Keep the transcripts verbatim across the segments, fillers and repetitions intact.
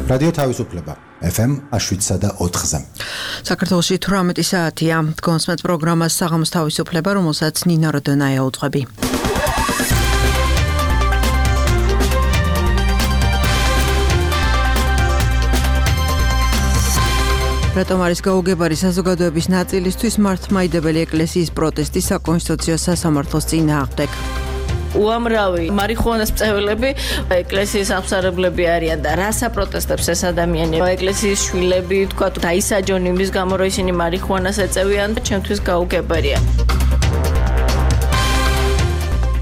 რადიო თავისუფლება ეფ ემ შვიდსა და ოთხზე. საქართველოში თვრამეტი საათია. გონსმეთ პროგრამას საღამოს თავისუფლება, რომელსაც ნინა როდონაია უძღვები. რატომ არის გაუგებარი საზოგადოების ნაწილისთვის მართლმადიდებელი ეკლესიის პროტესტი საკონსტიტუციო სასამართლოს წინააღმდეგ? უამრავი მარიხუანას მწეველები ეკლესიის აღმსარებლები არიან და რა საპროტესტებს ეს ადამიანები ეკლესიის შვილები თქვა დაისაჯონ იმის გამო რომ ისინი მარიხუანას ეწევიან და ჩემთვის გაუგებარია.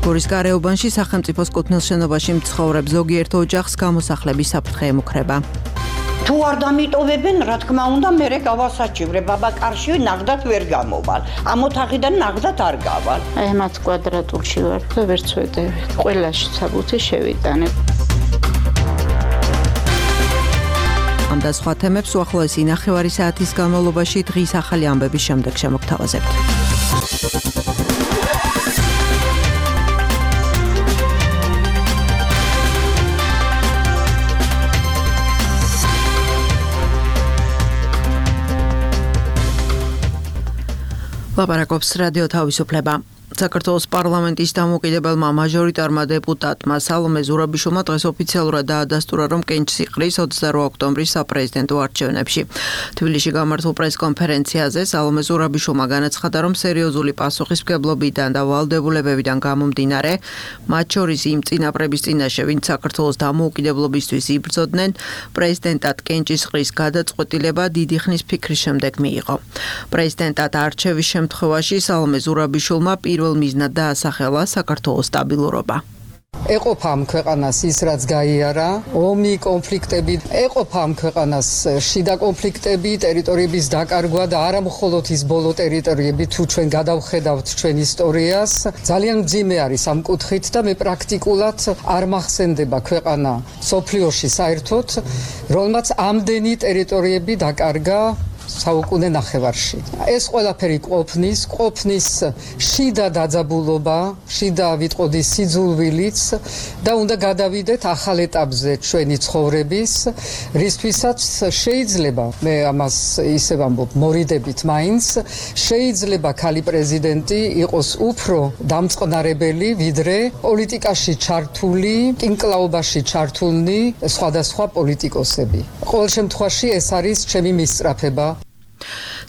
გორის გარეუბანში სახელმწიფოს კუთვნილ შენობაში მცხოვრებ ზოგიერთ ოჯახს გამოსახლების საფრთხე ემუქრება. თუ არ დამიტოვებენ, რა თქმა უნდა, მერე გავასაჩივრე, ბაბა კარში ნახდათ ვერ გამოვალ. ამ ოთახიდან ნახდათ არ გავალ. აი მათ კვადრატულში ვარ და ვერ წვედები. ყველაში საბუთი შევიტანებ. ამ და სხვა თემებს უახლოესი ნახევარი საათის განმავლობაში დღის ახალი ამბების შემდეგ შემოგთავაზებთ. ლაპარაკობს რადიო თავისუფლება. საქართველოს პარლამენტის დამოუკიდებელმა მაჟორიტარმა დეპუტატმა სალომე ზურაბიშვილმა დღეს ოფიციალურად დაადასტურა, რომ კენჭს იყრის ოცდაორ ოქტომბრის საპრეზიდენტო არჩევნებში. თბილისში გამართულ პრესკონფერენციაზე სალომე ზურაბიშვილმა განაცხადა, რომ სერიოზული პასუხისმგებლობიდან და ვალდებულებებიდან გამომდინარე, მათ შორის იმ წინაპრების წინაშე, ვინც საქართველოს დამოუკიდებლობისთვის იბრძოდნენ, პრეზიდენტად კენჭის იყრის გადაწყვეტილება დიდი ხნის ფიქრის შემდეგ მიიღო. პრეზიდენტად არჩევის შემთხვევაში სალომე ზურაბიშვილმა პირველ მიზნად დაასახელა საქართველოს სტაბილურობა. ეყოფა ამ ქვეყანას ის, რაც გაიარა, ომი, კონფლიქტები, ეყოფა ამ ქვეყანას შიდა კონფლიქტები, ტერიტორიების დაკარგვა და არა მხოლოდ ის ბოლო ტერიტორიები, თუ ჩვენ გადავხედავთ ჩვენ ისტორიას, ძალიან მძიმე არის ამ კუთხით და მე პრაქტიკულად არ მახსენდება ქვეყანა სოფლიოში საერთოდ, რომელმაც ამდენი ტერიტორიები დაკარგა საუკუნე ნახევარში. ეს ყველაფერი ყოფნის, ყოფნის შიდა დაძაბულობა, შიდა ვიტყოდი სიძულვილიც და უნდა გადავიდეთ ახალ ეტაპზე ჩვენი ცხოვრების, რისთვისაც შეიძლება, მე ამას ისევ ამბობ, მორიდებით მაინც, შეიძლება ქალი პრეზიდენტი იყოს უფრო დამწყნარებელი, ვიდრე პოლიტიკაში ჩართული, კინკლაობაში ჩართულნი სხვადასხვა პოლიტიკოსები. ყოველ შემთხვევაში ეს არის ჩემი მისწრაფება.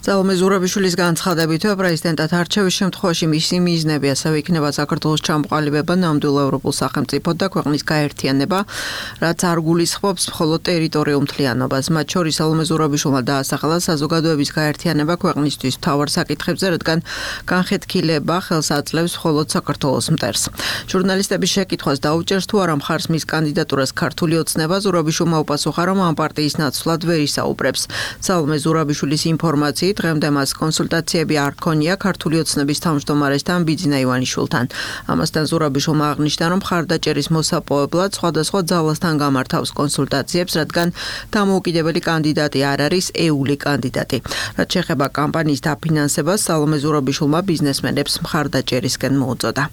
სალომე ზურაბიშვილის განცხადებით, პრეზიდენტად არჩევის შემთხვევაში მისი მიზნები ასევე იქნება საქართველოს ჩამოყალიბება ნამდვილ ევროპულ სახელმწიფოდ და ქვეყნის გაერთიანება, რაც არ გულისხმობს მხოლოდ ტერიტორიულ მთლიანობას. მათ შორის სალომე ზურაბიშვილმა დაასახელა საზოგადოების გაერთიანება ქვეყნისთვის მთავარ საკითხებზე, რადგან განხეთქილება ხელს აძლევს მხოლოდ საქართველოს მტერს. ჟურნალისტების შეკითხვას დაუჭერს თუ არა მხარს მის კანდიდატურას ქართული ოცნება, ზურაბიშვილმა უპასუხა, რომ ამ პარტიის ნაცვლად ვერ ისაუბრებს. სალომე ზურაბიშვილის ინფორმაციით დღემდე მას კონსულტაციები არ ჰქონია ქართული ოცნების თავმჯდომარესთან ბიძინა ივანიშვილთან. ამასთან ზურაბიშვილმა აღნიშნა, რომ მხარდაჭერის მოსაპოვებლად სხვადასხვა ძალასთან გამართავს კონსულტაციებს, რადგან დამოუკიდებელი კანდიდატი არ არის ეული კანდიდატი. რაც შეეხება კამპანიის დაფინანსებას, სალომე ზურაბიშვილმა ბიზნესმენებს მხარდაჭერისკენ მოუწოდა.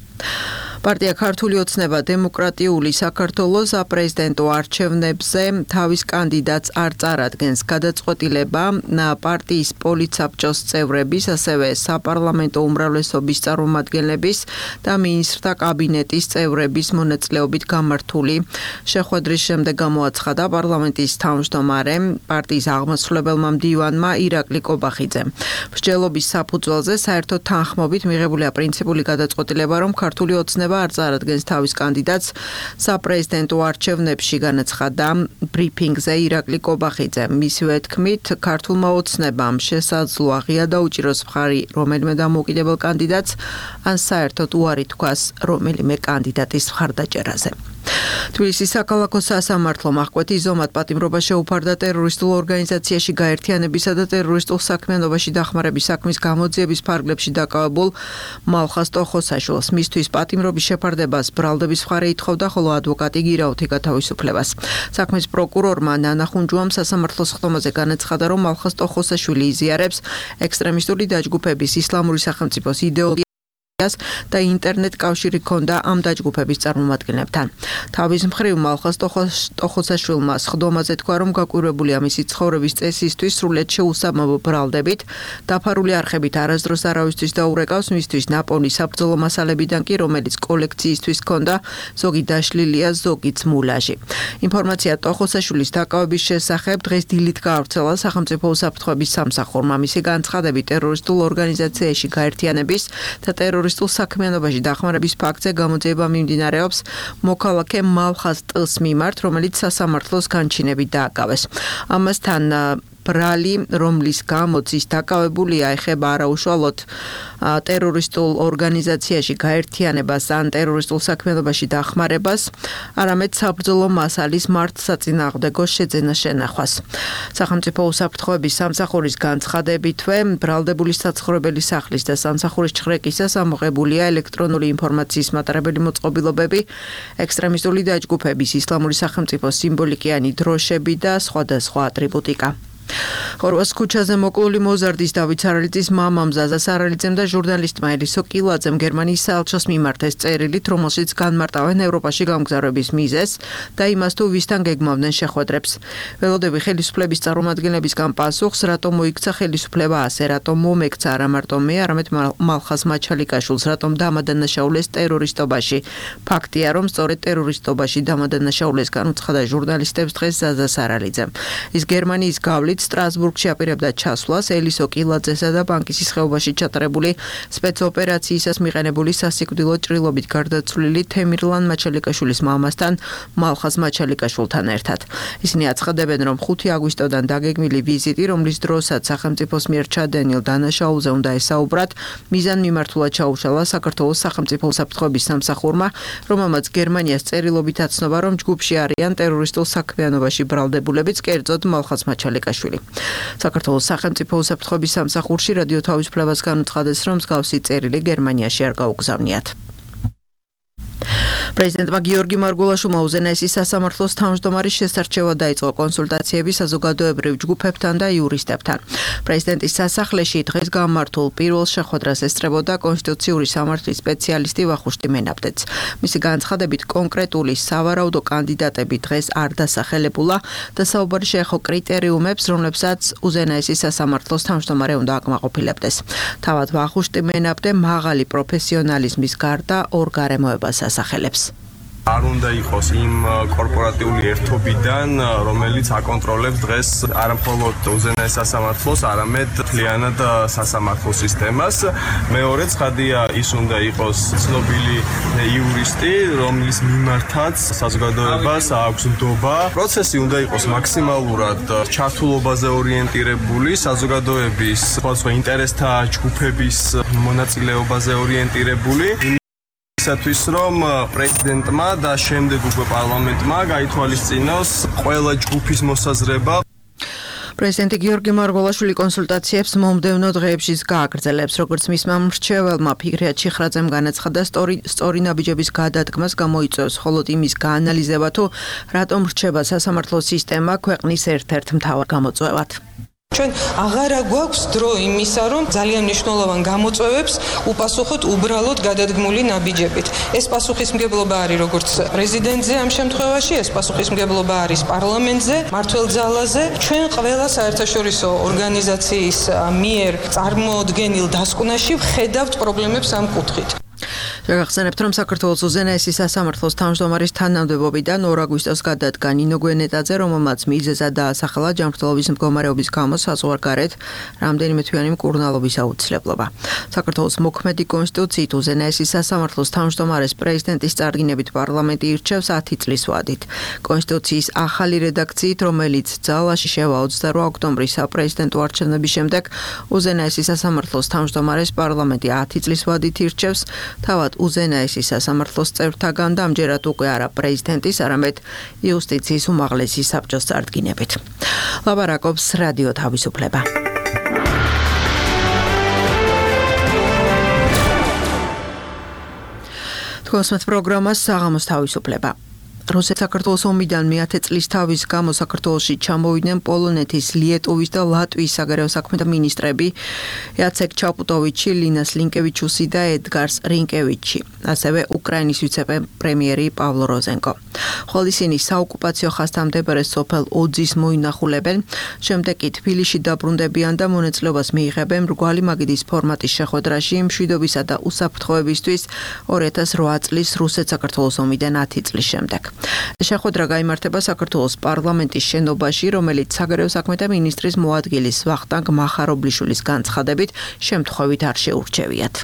პარტია ქართული ოცნება დემოკრატიული საქართველოს საპრეზიდენტო არჩევნებზე თავის კანდიდატს არ წარადგენს. გადაწყვეტილება პარტიის პოლიტსაბჭოს წევრების, ასევე საპარლამენტო უმრავლესობის წარმომადგენლების და მინისტრთა კაბინეტის წევრების მონაწილეობით გამართული შეხვედრის შემდეგ გამოაცხადა პარლამენტის თავმჯდომარემ, პარტიის აღმასრულებელმა მდივანმა ირაკლი კობახიძემ. მსჯელობის საფუძველზე საერთო თანხმობით მიღებულია პრინციპული გადაწყვეტილება, რომ ქართული ოცნება არ წარადგენს თავის კანდიდატს საპრეზიდენტო არჩევნებში, განაცხადა ბრიფინგზე ირაკლი კობახიძე. მისივე თქმით, ქართულმა ოცნებამ შესაძლოა ღია დაუჭიროს მხარი რომელიმე დამოუკიდებელ კანდიდატს, ან საერთოდ უარი თქვას რომელიმე კანდიდატის მხარდაჭერაზე. თბილისის საქალაქო სასამართლომ აღკვეთი ზომად პატიმრობა შეუფარდა ტერორისტულ ორგანიზაციაში გაერთიანებისა და ტერორისტულ საქმიანობაში დახმარების საქმის გამოძიების ფარგლებში დაკავებულ მალხას ტოხოსაშვილს. მისთვის პატიმრობის შეფარდებას ბრალდების მხარე ითხოვდა, ხოლო ადვოკატი გირაუთი გათავისუფლებას. საქმის პროკურორმა ნანა ხუნჯუამ სასამართლოს ხტომაზე განაცხადა, რომ მალხას ტოხოსაშვილი იზიარებს ექსტრემისტული დაჯგუფების ისლამური სახელმწიფოს იდეოლოგიას და ინტერნეტ კავშირი ჰქონდა ამ დაჯგუფების წარმომადგენლებთან. თავის მხრივ მალხაზ ტოხოსაშვილმა სხდომაზე თქვა, რომ გაკვირვებულია მისი ცხოვრების წესისთვის სრულიად შეუსაბამო ბრალდებით, დაფარული არხებით არასდროს არავისთვის დაურეკავს, მისთვის ნაპოვნი საბრძოლო მასალებიდან კი, რომელიც კოლექციისთვის ჰქონდა, ზოგი დაშლილია, ზოგიც მულაჟი. ინფორმაცია ტოხოსაშვილის დაკავების შესახებ დღეს დილით გაავრცელა სახელმწიფო უსაფრთხოების სამსახურმა. მისი განცხადებით ტერორისტულ ორგანიზაციაში გაერთიანების და ტერორისტულ საქმიანობაში დახმარების ფაქტზე გამოძიება მიმდინარეობს მოქალაქე მალხაზ ტ-ს მიმართ, რომელიც სასამართლოს განჩინებით დააკავეს. ამასთან ბრალი, რომლის გამოც ის დაკავებულია, ეხება არაუშუალოდ ტერორისტულ ორგანიზაციაში გაერთიანებას ან ტერორისტულ საქმიანობაში დახმარებას, არამედ საბრძოლო მასალის მართლსაწინააღმდეგო შეძენა შენახვას. სახელმწიფო უსაფრთხოების სამსახურის განცხადებითვე, ბრალდებული საცხოვრებელი სახლის და სამსახურის ჩხრეკისას ამოღებულია ელექტრონული ინფორმაციის მატარებელი მოწყობილობები, ექსტრემისტული დაჯგუფების, ისლამური სახელმწიფოს სიმბოლიკიანი დროშები და სხვადასხვა ატრიბუტიკა. ხორვას ქუჩაზე მოკლული მოზარდის დავით სარალიძის მამამ ზაზა სარალიძემ და ჟურნალისტმა ელისო კილაძემ გერმანიის საელჩოს მიმართეს წერილით, რომელშიც განმარტავენ ევროპაში გამგზავრების მიზეზს და იმას თუ ვისთან გეგმავდნენ შეხვედრებს. ველოდები ხელისუფლების წარმომადგენლებისგან პასუხს, რატომ მოიქცა ხელისუფლება ასე, რატომ მომექცა არა მარტო მე, არამედ მალხაზ მაჩალიკაშვილს, რატომ დამადანაშაულეს ტერორისტობაში. ფაქტია, რომ სწორედ ტერორისტობაში დამადანაშაულეს განუცხადა ჟურნალისტებს დღეს ზაზა სარალიძემ. ის გერმანიის გავლით სტრასბურგში აპირებდა ჩასვლას ელისო კილაძესა და ბანკისის ხეობაში ჩატარებული სპეცოპერაციისას მიყენებული სასიკვდილო ჭრილობით გარდაცვლილი თემირლან მაჩალიკაშვილის მამასთან მალხაზ მაჩალიკაშვილთან ერთად. ისინი აცხადებენ, რომ ხუთი აგვისტოდან დაგეგმილი ვიზიტი, რომლის დროსაც სახელმწიფოს მიერ ჩადენილ დანაშაულზე უნდა ესაუბრათ, მიზანმიმართულად ჩაუშალა საქართველოს სახელმწიფო უსაფრთხოების სამსახურმა, რომელმაც გერმანიას წერილობით აცნობა, რომ ჯგუფში არიან ტერორისტულ საქმიანობაში ბრალდებულებიც, კერძოდ მალხაზ მაჩალიკაშვილი. საქართველოს სახელმწიფო უსაფრთხოების სამსახურში რადიო თავისუფლებას განუცხადეს, რომ მსგავსი წერილი გერმანიაში არ გაუგზავნიათ. პრეზიდენტმა გიორგი მარგულაშვილმა უზენაესის სასამართლოს თავმჯდომარის შესარჩევად დაიწყო კონსულტაციები საზოგადოებრივ ჯგუფებთან და იურისტებთან. პრეზიდენტის სასახლეში დღეს გამართულ პირველ შეხვედრას ესწრებოდა კონსტიტუციური სამართლის სპეციალისტი ვახუშტი მენაბდეც. მისი განცხადებით, კონკრეტული სავარაუდო კანდიდატები დღეს არ დასახელებულა და საუბარი შეეხო კრიტერიუმებს, რომლებსაც უზენაესის სასამართლოს თავმჯდომარე უნდა აკმაყოფილებდეს. თავად ვახუშტი მენაბდე მაღალი პროფესიონალიზმის გარდა ორ გარემოებას ასახელებს. არ უნდა იყოს იმ კორპორატიული ერთობიდან, რომელიც აკონტროლებს დღეს არა მხოლოდ უზენაეს სასამართლოს, არამედ მთლიანად სასამართლო სისტემას. მეორე ცხადია, ის უნდა იყოს ცნობილი იურისტი, რომლის მიმართაც საზოგადოებას აქვს ნდობა. პროცესი უნდა იყოს მაქსიმალურად ჩართულობაზე ორიენტირებული, საზოგადოების სხვადასხვა ინტერესთა ჯგუფების მონაწილეობაზე ორიენტირებული. ისათვის, რომ პრეზიდენტმა და შემდეგ უკვე პარლამენტმა გაითვალისწინოს ყველა ჯგუფის მოსაზრება. პრეზიდენტი გიორგი მარგულაშვილი კონსულტაციებს მომდევნო დღეებში გააგრძელებს, როგორც მისმა მრჩეველმა ფიქრიათ ჩიხრაძემ განაცხადა, სწორი ნაბიჯების გადადგმას გამოიწვევს მხოლოდ იმის გაანალიზება, თუ რატომ რჩება სასამართლო სისტემა ქვეყნის ერთ-ერთ მთავარ გამოწვევად. ჩვენ აღარა გვაქვს დრო იმისა, რომ ძალიან მნიშვნელოვან გამოწვევებს უპასუხოთ უბრალოდ გადადგმული ნაბიჯებით. ეს პასუხისმგებლობა არის როგორც პრეზიდენტზე ამ შემთხვევაში, ეს პასუხისმგებლობა არის პარლამენტზე, მმართველ ძალაზე. ჩვენ ყველა საერთაშორისო ორგანიზაციის მიერ წარმოდგენილ დასკვნაში ვხედავთ პრობლემებს ამ კუთხით. შეგახსენებთ, რომ საქართველოს უზენაესის სასამართლოს თავმჯდომარის თანამდებობიდან ორ აგვისტოს გადადგა ნინო გვენეტაძე, რომელმაც მიზეზად დაასახელა ჯანმრთელობის მდგომარეობის გამო საზღვარგარეთ რამდენიმე თვიანი მკურნალობის აუცილებლობა. საქართველოს მოქმედი კონსტიტუციით უზენაესის სასამართლოს თავმჯდომარეს პრეზიდენტის წარდგინებით პარლამენტი ირჩევს ათი წლის ვადით. კონსტიტუციის ახალი რედაქციით, რომელიც ძალაში შევა ოცდაორი ოქტომბრის საპრეზიდენტო არჩევნების შემდეგ, უზენაესის სასამართლოს თავმჯდომარეს პარლამენტი ათი წლის ვადით ირჩევს, თავად უზენაესის სასამართლოს წევრთაგან და ამჯერად უკვე არა პრეზიდენტის, არამედ იუსტიციის უმაღლესი საბჭოს წარდგინებით. ლაბარაკობს რადიო თავისუფლება. თქვენს პროგრამას საღამოს თავისუფლება. რუსეთ-საქართველოს ომიდან მეათე წლის თავის გამო საქართველოში ჩამოვიდნენ პოლონეთის, ლიეტუვის და ლატვიის საგარეო საქმეთა მინისტრები იაცეკ ჩაპუტოვიჩი, ლინა სლინკევიჩუსი და ედგარს რინკევიჩი, ასევე უკრაინის ვიცე-პრემიერი პავლო როზენკო. ხოლო ისინი საოკუპაციო ხაზთან მდებარე სოფელ ოძის მოინახულებენ, შემდეგ კი თბილისში დაბრუნდებიან და მონაწილეობას მიიღებენ მრგვალი მაგიდის ფორმატის შეხვედრაში მშვიდობისა და უსაფრთხოებისთვის ორი ათას რვა წლის რუსეთ-საქართველოს ომიდან ათი წლის შემდეგ. შეხვედრა გაიმართება საქართველოს პარლამენტის შენობაში, რომელიც საგარეო საქმეთა მინისტრის მოადგილის ვახტანგ მახარობლიშვილის განცხადებით შემთხვევით არ შეურჩევიათ.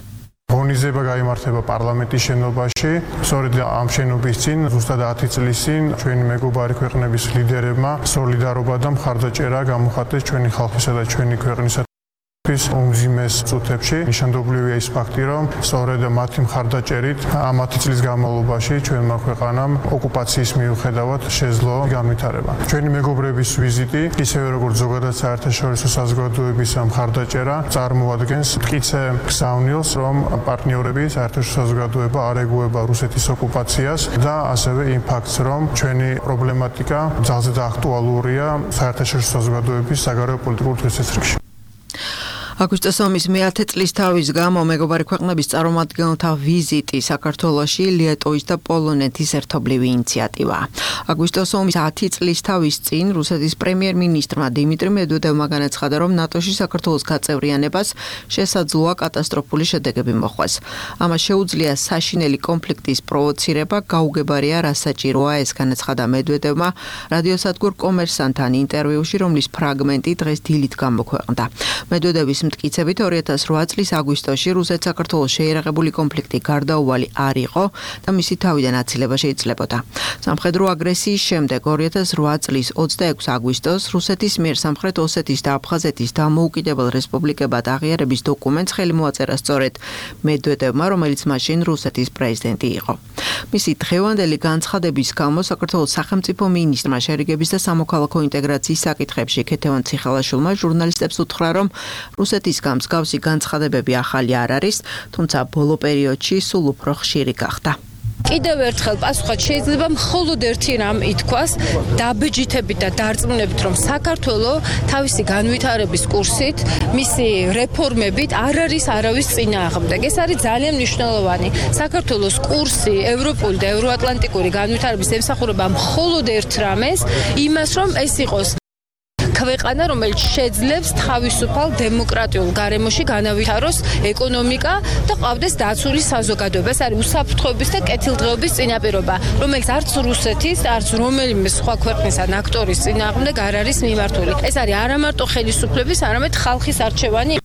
ღონისძიება გაიმართება პარლამენტის შენობაში. სწორედ ამ შენობის წინ, ზუსტად ათი წლის წინ, ჩვენი მეგობარი ქვეყნების ლიდერებმა სოლიდარობა და მხარდაჭერა გამოხატეს ჩვენი ხალხისა და ჩვენი ქვეყნისა უმზიმეს წუთებში. ნიშანდობლივია ის ფაქტი, რომ სწორედ მათი მხარდაჭერით ამ ათი წლის განმავლობაში ჩვენმა ქვეყანამ ოკუპაციის მიუხედავად შეძლო განვითარება. ჩვენი მეგობრების ვიზიტი, ისევე როგორც ზოგადად საერთაშორისო საზოგადოების მხარდაჭერა, წარმოადგენს მტკიცე გზავნილს, რომ პარტნიორები საერთაშორისო საზოგადოება არ ეგუება რუსეთის ოკუპაციას და ასევე იმ ფაქტს, რომ ჩვენი პრობლემატიკა ძალზე და აქტუალურია საერთაშორისო საზოგადოების საგარეო პოლიტიკურ თვალსაზრისით. აგვისტოს ომის მეათე წლის თავის გამო მეგობარი ქვეყნების წარმომადგენელთა ვიზიტი საქართველოში ლიეტუვის და პოლონეთის ერთობლივი ინიციატივაა. აგვისტოს ომის ათი წლის თავის წინ რუსეთის პრემიერ-მინისტრმა დიმიტრი მედვედევმა განაცხადა, რომ ნატოში საქართველოს გაწევრიანებას შესაძლოა კატასტროფული შედეგები მოხვდეს. ამას შეუძლია საშინელი კონფლიქტის პროვოცირება, გაუგებარია რა საჭიროა, ეს განაცხადა მედვედევმა რადიოსადგურ კომერსანტთან ინტერვიუში, რომლის ფრაგმენტი დღეს დილით გამოქვეყნდა. მედვედევის მტკიცებით ორი ათას რვა წლის აგვისტოში რუსეთ-საქართველოს შეერაღებული კონფლიქტი გარდაუვალი არ იყო და მისი თავიდან აცილება შეიძლებოდა. სამხედრო აგრესიის შემდეგ ორი ათას რვა წლის ოცდაექვსი აგვისტოს რუსეთის მიერ სამხრეთ ოსეთის და აფხაზეთის დამოუკიდებელ რესპუბლიკებად აღიარების დოკუმენტს ხელი მოაწერა სწორედ მედვედევმა, რომელიც მაშინ რუსეთის პრეზიდენტი იყო. მისი დღევანდელი განცხადების გამო საქართველოს სახელმწიფო მინისტრმა შერიგების და სამოქალაქო ინტეგრაციის საკითხებში ქეთევან ციხალაშვილმა ჟურნალისტებს უთხრა, რომ რუსეთის მსგავსი განცხადებები ახალი არ არის, თუმცა ბოლო პერიოდში სულ უფრო ხშირი გახდა. კიდევ ერთხელ პასუხად შეიძლება მხოლოდ ერთი რამ ითქვას, დაბეჯითებით და დარწმუნებით, რომ საქართველოს თავისი განვითარების კურსით, მისი რეფორმებით არ არის არავის წინააღმდეგ. ეს არის ძალიან მნიშვნელოვანი. საქართველოს კურსი ევროპული და ევროატლანტიკური განვითარების ემსახურება მხოლოდ ერთ რამეს, იმას, რომ ეს იყოს ქვეყანა, რომელიც შეძლებს თავისუფალ დემოკრატიულ გარემოში განავითაროს ეკონომიკა და ყავდეს დაცული საზოგადოება. ეს არის უსაფრთხოების და კეთილდღეობის წინაპირობა, რომელიც არც რუსეთის, არც რომელიმე სხვა ქვეყნის ან აქტორის წინააღმდეგ არ არის მიმართული. ეს არის არა მარტო ხელისუფლების, არამედ ხალხის არჩევანი.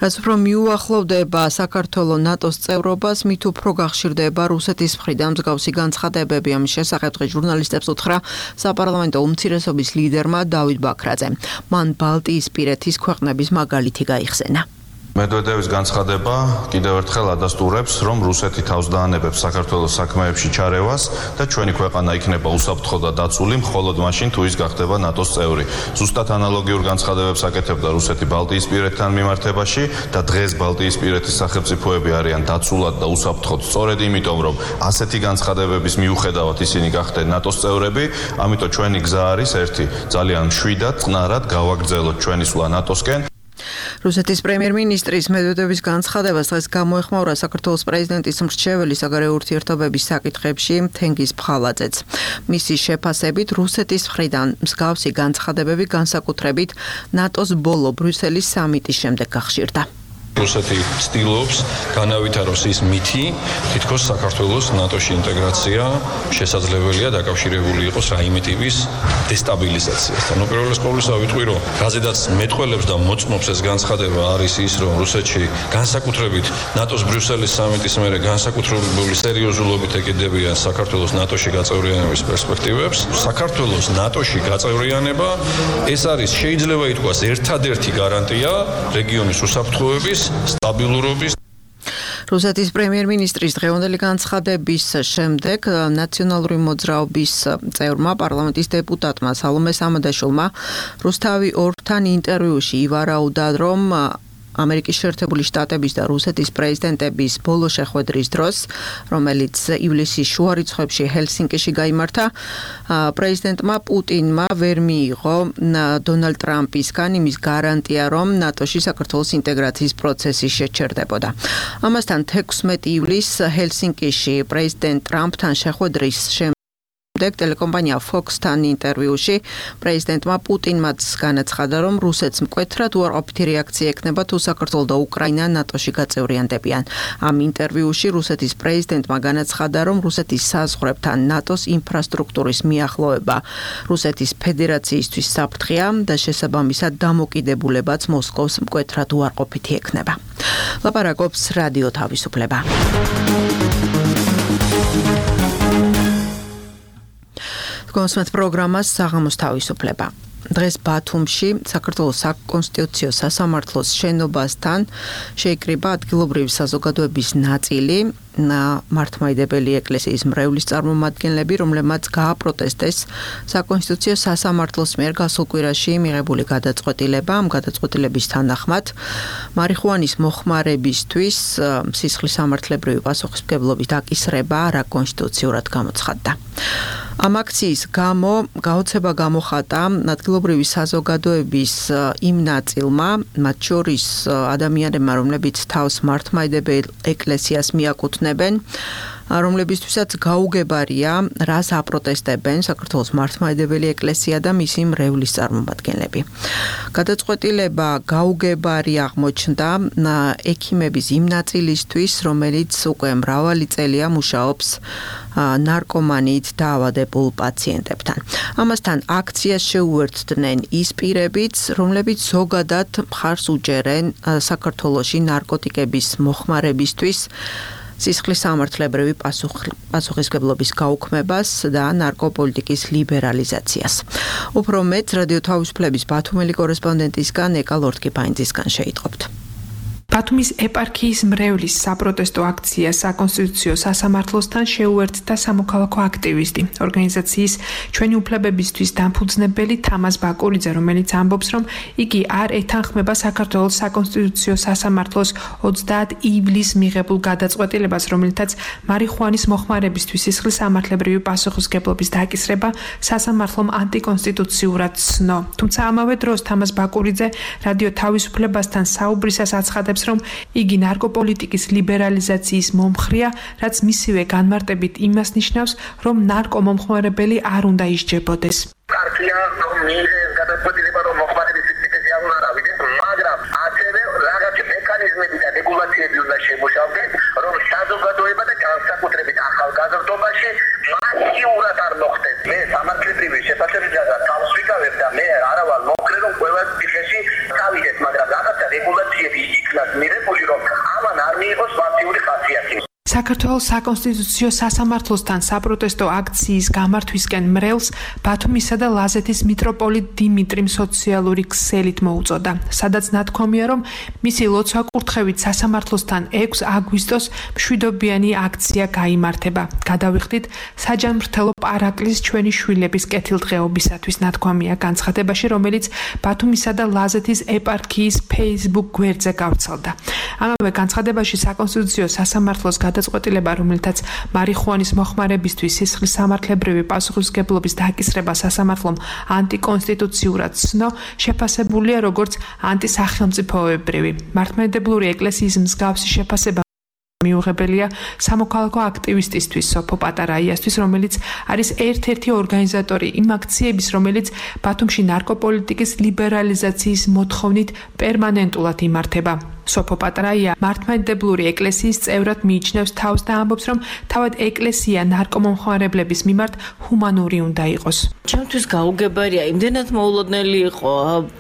რაც უფრო მიუახლოვდება საქართველოს ნატოს წევრობას, მით უფრო გახშირდება რუსეთის მხრიდან მსგავსი განცხადებები. ამის შესახებ დღეს ჟურნალისტებს უთხრა საპარლამენტო უმცირესობის ლიდერმა დავით ბაქრაძემ. მან ბალტიისპირეთის ქვეყნების მაგალითი გაიხსენა. მედვედევის განცხადება კიდევ ერთხელ ადასტურებს, რომ რუსეთი თავს დაანებებს საქართველოს საქმეებში ჩარევას და ჩვენი ქვეყანა იქნება უსაფრთხო და დაცული მხოლოდ მაშინ, თუ ის გახდება ნატოს წევრი. ზუსტად ანალოგიურ განცხადებებს აკეთებდა რუსეთი ბალტიისპირეთთან მიმართებაში და დღეს ბალტიისპირეთის სახელმწიფოები არიან დაცულად და უსაფრთხოდ სწორედ იმიტომ, რომ ასეთი განცხადებების მიუხედავად ისინი გახდნენ ნატოს წევრები, ამიტომ ჩვენი გზა არის ერთი, ძალიან მშვიდად, წყნარად გავაგრძელოთ ჩვენი სვლა ნატოსკენ. რუსეთის პრემიერ-მინისტრის მედვედევის განცხადებას დღეს გამოეხმაურა საქართველოს პრეზიდენტის მრჩეველი საგარეო ურთიერთობების საკითხებში თენგიზ ფხალაძეც. მისი შეფასებით რუსეთის მხრიდან მსგავსი განცხადებები განსაკუთრებით ნატოს ბოლო ბრიუსელის სამიტის შემდეგ გახშირდა. რუსეთი ცდილობს განავითაროს ის მითი, თითქოს საქართველოს ნატოში ინტეგრაცია შესაძლებელია დაკავშირებული იყოს რაიმე ტიპის დესტაბილიზაციასთან. უპირველეს ყოვლისა ვიტყვი, რომ რაზედაც მეტყველებს და მოწმობს ეს განცხადება არის ის, რომ რუსეთში განსაკუთრებით ნატოს ბრიუსელის სამიტის მერე განსაკუთრებული სერიოზულობით ეკიდებიან საქართველოს ნატოში გაწევრიანების პერსპექტივებს. საქართველოს ნატოში გაწევრიანება ეს არის შეიძლება ითქვას ერთადერთი გარანტია რეგიონის უსაფრთხოების სტაბილურობის. რუსეთის პრემიერ-მინისტრის დღევანდელი განცხადების შემდეგ ნაციონალური მოძრაობის წევრმა პარლამენტის დეპუტატმა სალომე სამადაშვილმა რუსთავი ორთან ინტერვიუში ივარაუდა, რომ ამერიკის შეერთებული შტატების და რუსეთის პრეზიდენტების ბოლო შეხვედრის დროს, რომელიც ივლისის შუა რიცხვებში ჰელსინკიში გაიმართა, პრეზიდენტმა პუტინმა ვერ მიიღო დონალდ ტრამპისგან იმის გარანტია, რომ ნატოში საქართველოს ინტეგრაციის პროცესი შეჩერდებოდა. ამასთან თექვსმეტი ივლისს ჰელსინკიში პრეზიდენტ ტრამპთან შეხვედრის ტელეკომპანია Fox-თან ინტერვიუში პრეზიდენტმა პუტინმაც განაცხადა, რომ რუსეთს მკვეთრად უარყოფითი რეაქცია ექნება თუ საქართველო და უკრაინა ნატოში გაწევრიანდებიან. ამ ინტერვიუში რუსეთის პრეზიდენტმა განაცხადა, რომ რუსეთის საზღვრებთან ნატოს ინფრასტრუქტურის მიახლოება რუსეთის ფედერაციისთვის საფრთხეა და შესაბამისად დამოკიდებულებაც მოსკოვს მკვეთრად უარყოფითი ექნება. ლაპარაკობს რადიო თავისუფლება. კონსმეთ პროგრამას საღამოს თავისუფლება. დღეს ბათუმში საქართველოს საკონსტიტუციო სასამართლოს შენობასთან შეიკრიბა ადგილობრივი საზოგადოების ნაწილი მართლმადიდებელი ეკლესიის მრევლის წარმომადგენლები, რომლებმაც გააპროტესტეს საკონსტიტუციო სასამართლოს მიერ გასულ კვირაში მიღებული გადაწყვეტილება. ამ გადაწყვეტილების თანახმად მარიხუანის მოხმარებისთვის სისხლის სამართლებრივი პასუხისმგებლობის დაკისრება არაკონსტიტუციურად გამოცხადდა. ამ აქციის გამო გაოცება გამოხატა ადგილობრივი საზოგადოების იმ ნაწილმა, მათ შორის ადამიანებმა, რომლებიც თავს მართლმადიდებელ ეკლესიას მიაკუთვნებენ, რომლებისთვისაც გაუგებარია, რას აპროტესტებენ საქართველოს მართლმადიდებელი ეკლესია და მისი მრევლის წარმომადგენლები. გადაწყვეტილება გაუგებარი აღმოჩნდა ექიმების იმ ნაწილისთვის, რომელიც უკვე მრავალი წელია მუშაობს ნარკომანიით დაავადებულ პაციენტებთან. ამასთან აქციას შეუერთდნენ ის პირებიც, რომლებიც ზოგადად მხარს უჭერენ საქართველოში ნარკოტიკების მოხმარებისთვის სისხლის სამართლებრივი პასუხისმგებლობის გაუქმებას და ნარკოპოლიტიკის ლიბერალიზაციას. უფრო მეტ რადიო თავისუფლების ბათუმელი კორესპონდენტისგან ეკა ლორთქიფაინძისგან შეიტყობთ. ბათუმის ეპარქიის მრევლის საპროტესტო აქცია საკონსტიტუციო სასამართლოსთან შეუერთდა სამოქალაქო აქტივისტი, ორგანიზაციის ჩვენი უფლებებისთვის დამფუძნებელი თამაზ ბაკურიძე, რომელიც ამბობს, რომ იგი არ ეთანხმება საქართველოს საკონსტიტუციო სასამართლოს ოცდაათი ივლისს მიღებულ გადაწყვეტილებას, რომელთაც მარიხუანის მოხმარებისთვის სისხლის სამართლებრივი პასუხისმგებლობის დაკისრება სასამართლომ ანტიკონსტიტუციურად ცნო. თუმცა ამავე დროს თამაზ ბაკურიძე რადიო თავისუფლებასთან საუბრისას აცხადებს, რომ იგი ნარკოპოლიტიკის ლიბერალიზაციის მომხრეა, რაც მისივე განმარტებით იმას ნიშნავს, რომ ნარკომომხმარებელი არ უნდა ისჯებოდეს. კარტია რომ მიიღეს გადაწყვეტილება, რომ მოხმარების სისტემაზე არ უნდა ავიდეს, მაგრამ ასევე რაღაც მექანიზმები და რეგულაციები უნდა შემუშავდეს, რომ საზოგადოება და განსაკუთრებით ახალგაზრდობაში მასიურად არ მოხდეს. მე სამართლებრივი შეფასებისა და თავს ვიკავებ და მე არავარ მოხრე, რომ ყველა ციხეში გავიდეს, მაგრამ რაღაცა რეგულაციები იქნას მიღებული, რომ ამან არ მიიღოს მასიური ხასიათი. საქართველოს საკონსტიტუციო სასამართლოსთან საპროტესტო აქციის გამართვისკენ მრევლს ბათუმისა და ლაზეთის მიტროპოლიტ დიმიტრიმ სოციალური ქსელით მოუწოდა, სადაც ნათქვამია, რომ მისი ლოცვა-კურთხევით სასამართლოსთან ექვსი აგვისტოს მშვიდობიანი აქცია გაიმართება. გადავიხდით საჯანმრთელო პარაკლის ჩვენი შვილების კეთილდღეობისათვის ნათქვამია განცხადებაში, რომელიც ბათუმისა და ლაზეთის ეპარქიის Facebook გვერდზე გავრცელდა. ამავე განცხადებაში საკონსტიტუციო სასამართლოს გადაწყვეტილება, რომელთაც მარიხუანის მოხმარებისთვის სისხლის სამართლებრივი პასუხისმგებლობის დაკისრება სასამართლომ ანტიკონსტიტუციურად ცნო, შეფასებულია როგორც ანტისახელმწიფოებრივი. მართლმადიდებლური ეკლესიის მსგავსი შეფასება მიუღებელია სამოქალაქო აქტივისტისთვის სოფო პატარაიასთვის, რომელიც არის ერთ-ერთი ორგანიზატორი იმ აქციების, რომელიც ბათუმში ნარკოპოლიტიკის ლიბერალიზაციის მოთხოვნით პერმანენტულად იმართება. სოფო პატარაია მართლმადიდებლური ეკლესიის წევრად მიიჩნევს თავს და ამბობს, რომ თავად ეკლესია ნარკომომხმარებლების მიმართ ჰუმანური უნდა იყოს. ჩემთვის გაუგებარია, იმდენად მოულოდნელი იყო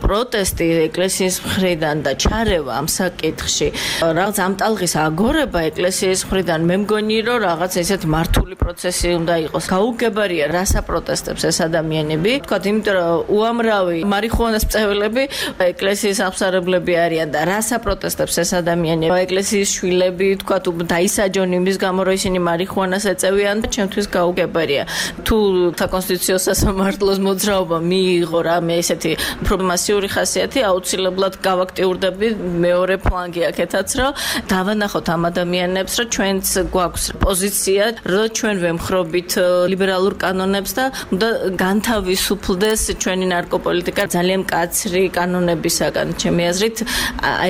პროტესტი ეკლესიის მხრიდან და ჩარევა ამ საკითხში. რაღაც ამ ტალღის აგორება ეკლესიის მხრიდან მე მგონი, რომ რაღაც ესეთ მართული პროცესი უნდა იყოს. გაუგებარია, რას აპროტესტებს ეს ადამიანები. თქვათ, იმიტომ რომ უამრავი მარიხუანას მწევლები ეკლესიის აღმსარებლები არიან და რას აპროტესტებს საპროტესტებს ეს ადამიანი. ეკლესიის შვილები, თქვა თუ დაისაჯონ იმის გამო, რომ ისინი მარიხუანას ეწევიან, ჩემთვის გაუგებარია. თუ საკონსტიტუციო სასამართლოს მოძრაობა მიიღო რამე ესეთი პრობლემატიური ხასიათი, აუცილებლად გავაქტიურდები მეორე ფლანგი აქეთაც, რომ დავანახოთ ამ ადამიანებს, რომ ჩვენც გვაქვს პოზიცია, რომ ჩვენ ვემხრობით ლიბერალურ კანონებს და უნდა განთავისუფლდეს ჩვენი ნარკოპოლიტიკა ძალიან მკაცრი კანონებისაგან. ჩემი აზრით,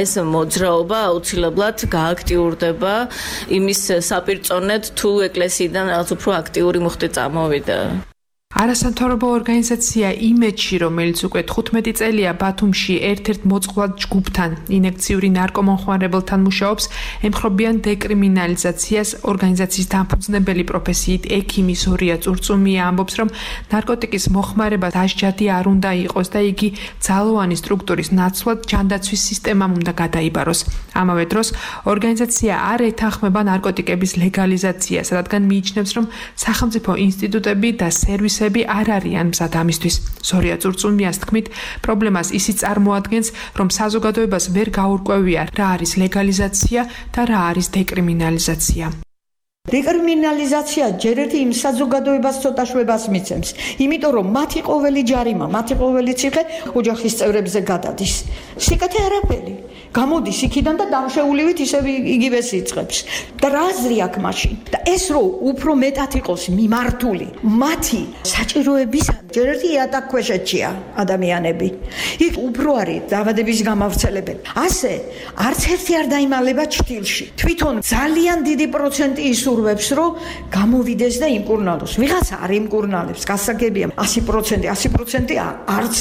ეს მოძრაობა აუცილებლად გააქტიურდება იმის საპირწონედ, თუ ეკლესიიდან რაღაც უფრო აქტიური მუხტი წამოვიდა. არასამთავრობო ორგანიზაცია იმედში, რომელიც უკვე თხუთმეტი წელია ბათუმში ერთ-ერთ მოწყვლად ჯგუფთან, ინექციური ნარკომომხმარებელთან მუშაობს, ემხრობიან დეკრიმინალიზაციას. ორგანიზაციის დამფუძნებელი პროფესიით ექიმი ზორია წურწუმია ამბობს, რომ ნარკოტიკის მოხმარება დასჯადი არ უნდა იყოს და იგი ძალოვანი სტრუქტურის ნაცვლად ჯანდაცვის სისტემამ უნდა გადაიბაროს. ამავე დროს ორგანიზაცია არ ეთანხმება ნარკოტიკების ლეგალიზაციას, რადგან მიიჩნევს, რომ სახელმწიფო ინსტიტუტები და სერვისები არ არიან მზად ამისთვის. ზორია წურწუმიას თქმით, პრობლემას ისიც წარმოადგენს, რომ საზოგადოებას ვერ გაურკვევია, რა არის ლეგალიზაცია და რა არის დეკრიმინალიზაცია. დეკრიმინალიზაცია ჯერ ერთი იმ საზოგადოებას ცოტა შვებას მიცემს, იმიტომ რომ მათი ყოველი ჯარიმა, მათი ყოველი ციხე ოჯახის წევრებზე გადადის. სიკეთე არაფერი. გამოდის იქიდან და დამშეულივით ისევ იგივეს იწყებს. და რა აზრი აქვს მაშინ? და ეს რო უფრო მეტად იყოს მიმართული, მათი საჭიროების ჯერ ერთი იატაკქვეშეთშია ადამიანები. იქ უფრო არის დაავადების გამავრცელებელი. ასე არც ერთი არ დაიმალება ჩtildeში. თვითონ ძალიან დიდი პროცენტი ისურვებს, რომ გამოვიდეს და იმკურნალოს. ვიღაცა არ იმკურნალებს, გასაგებია ასი პროცენტი, ასი პროცენტი არც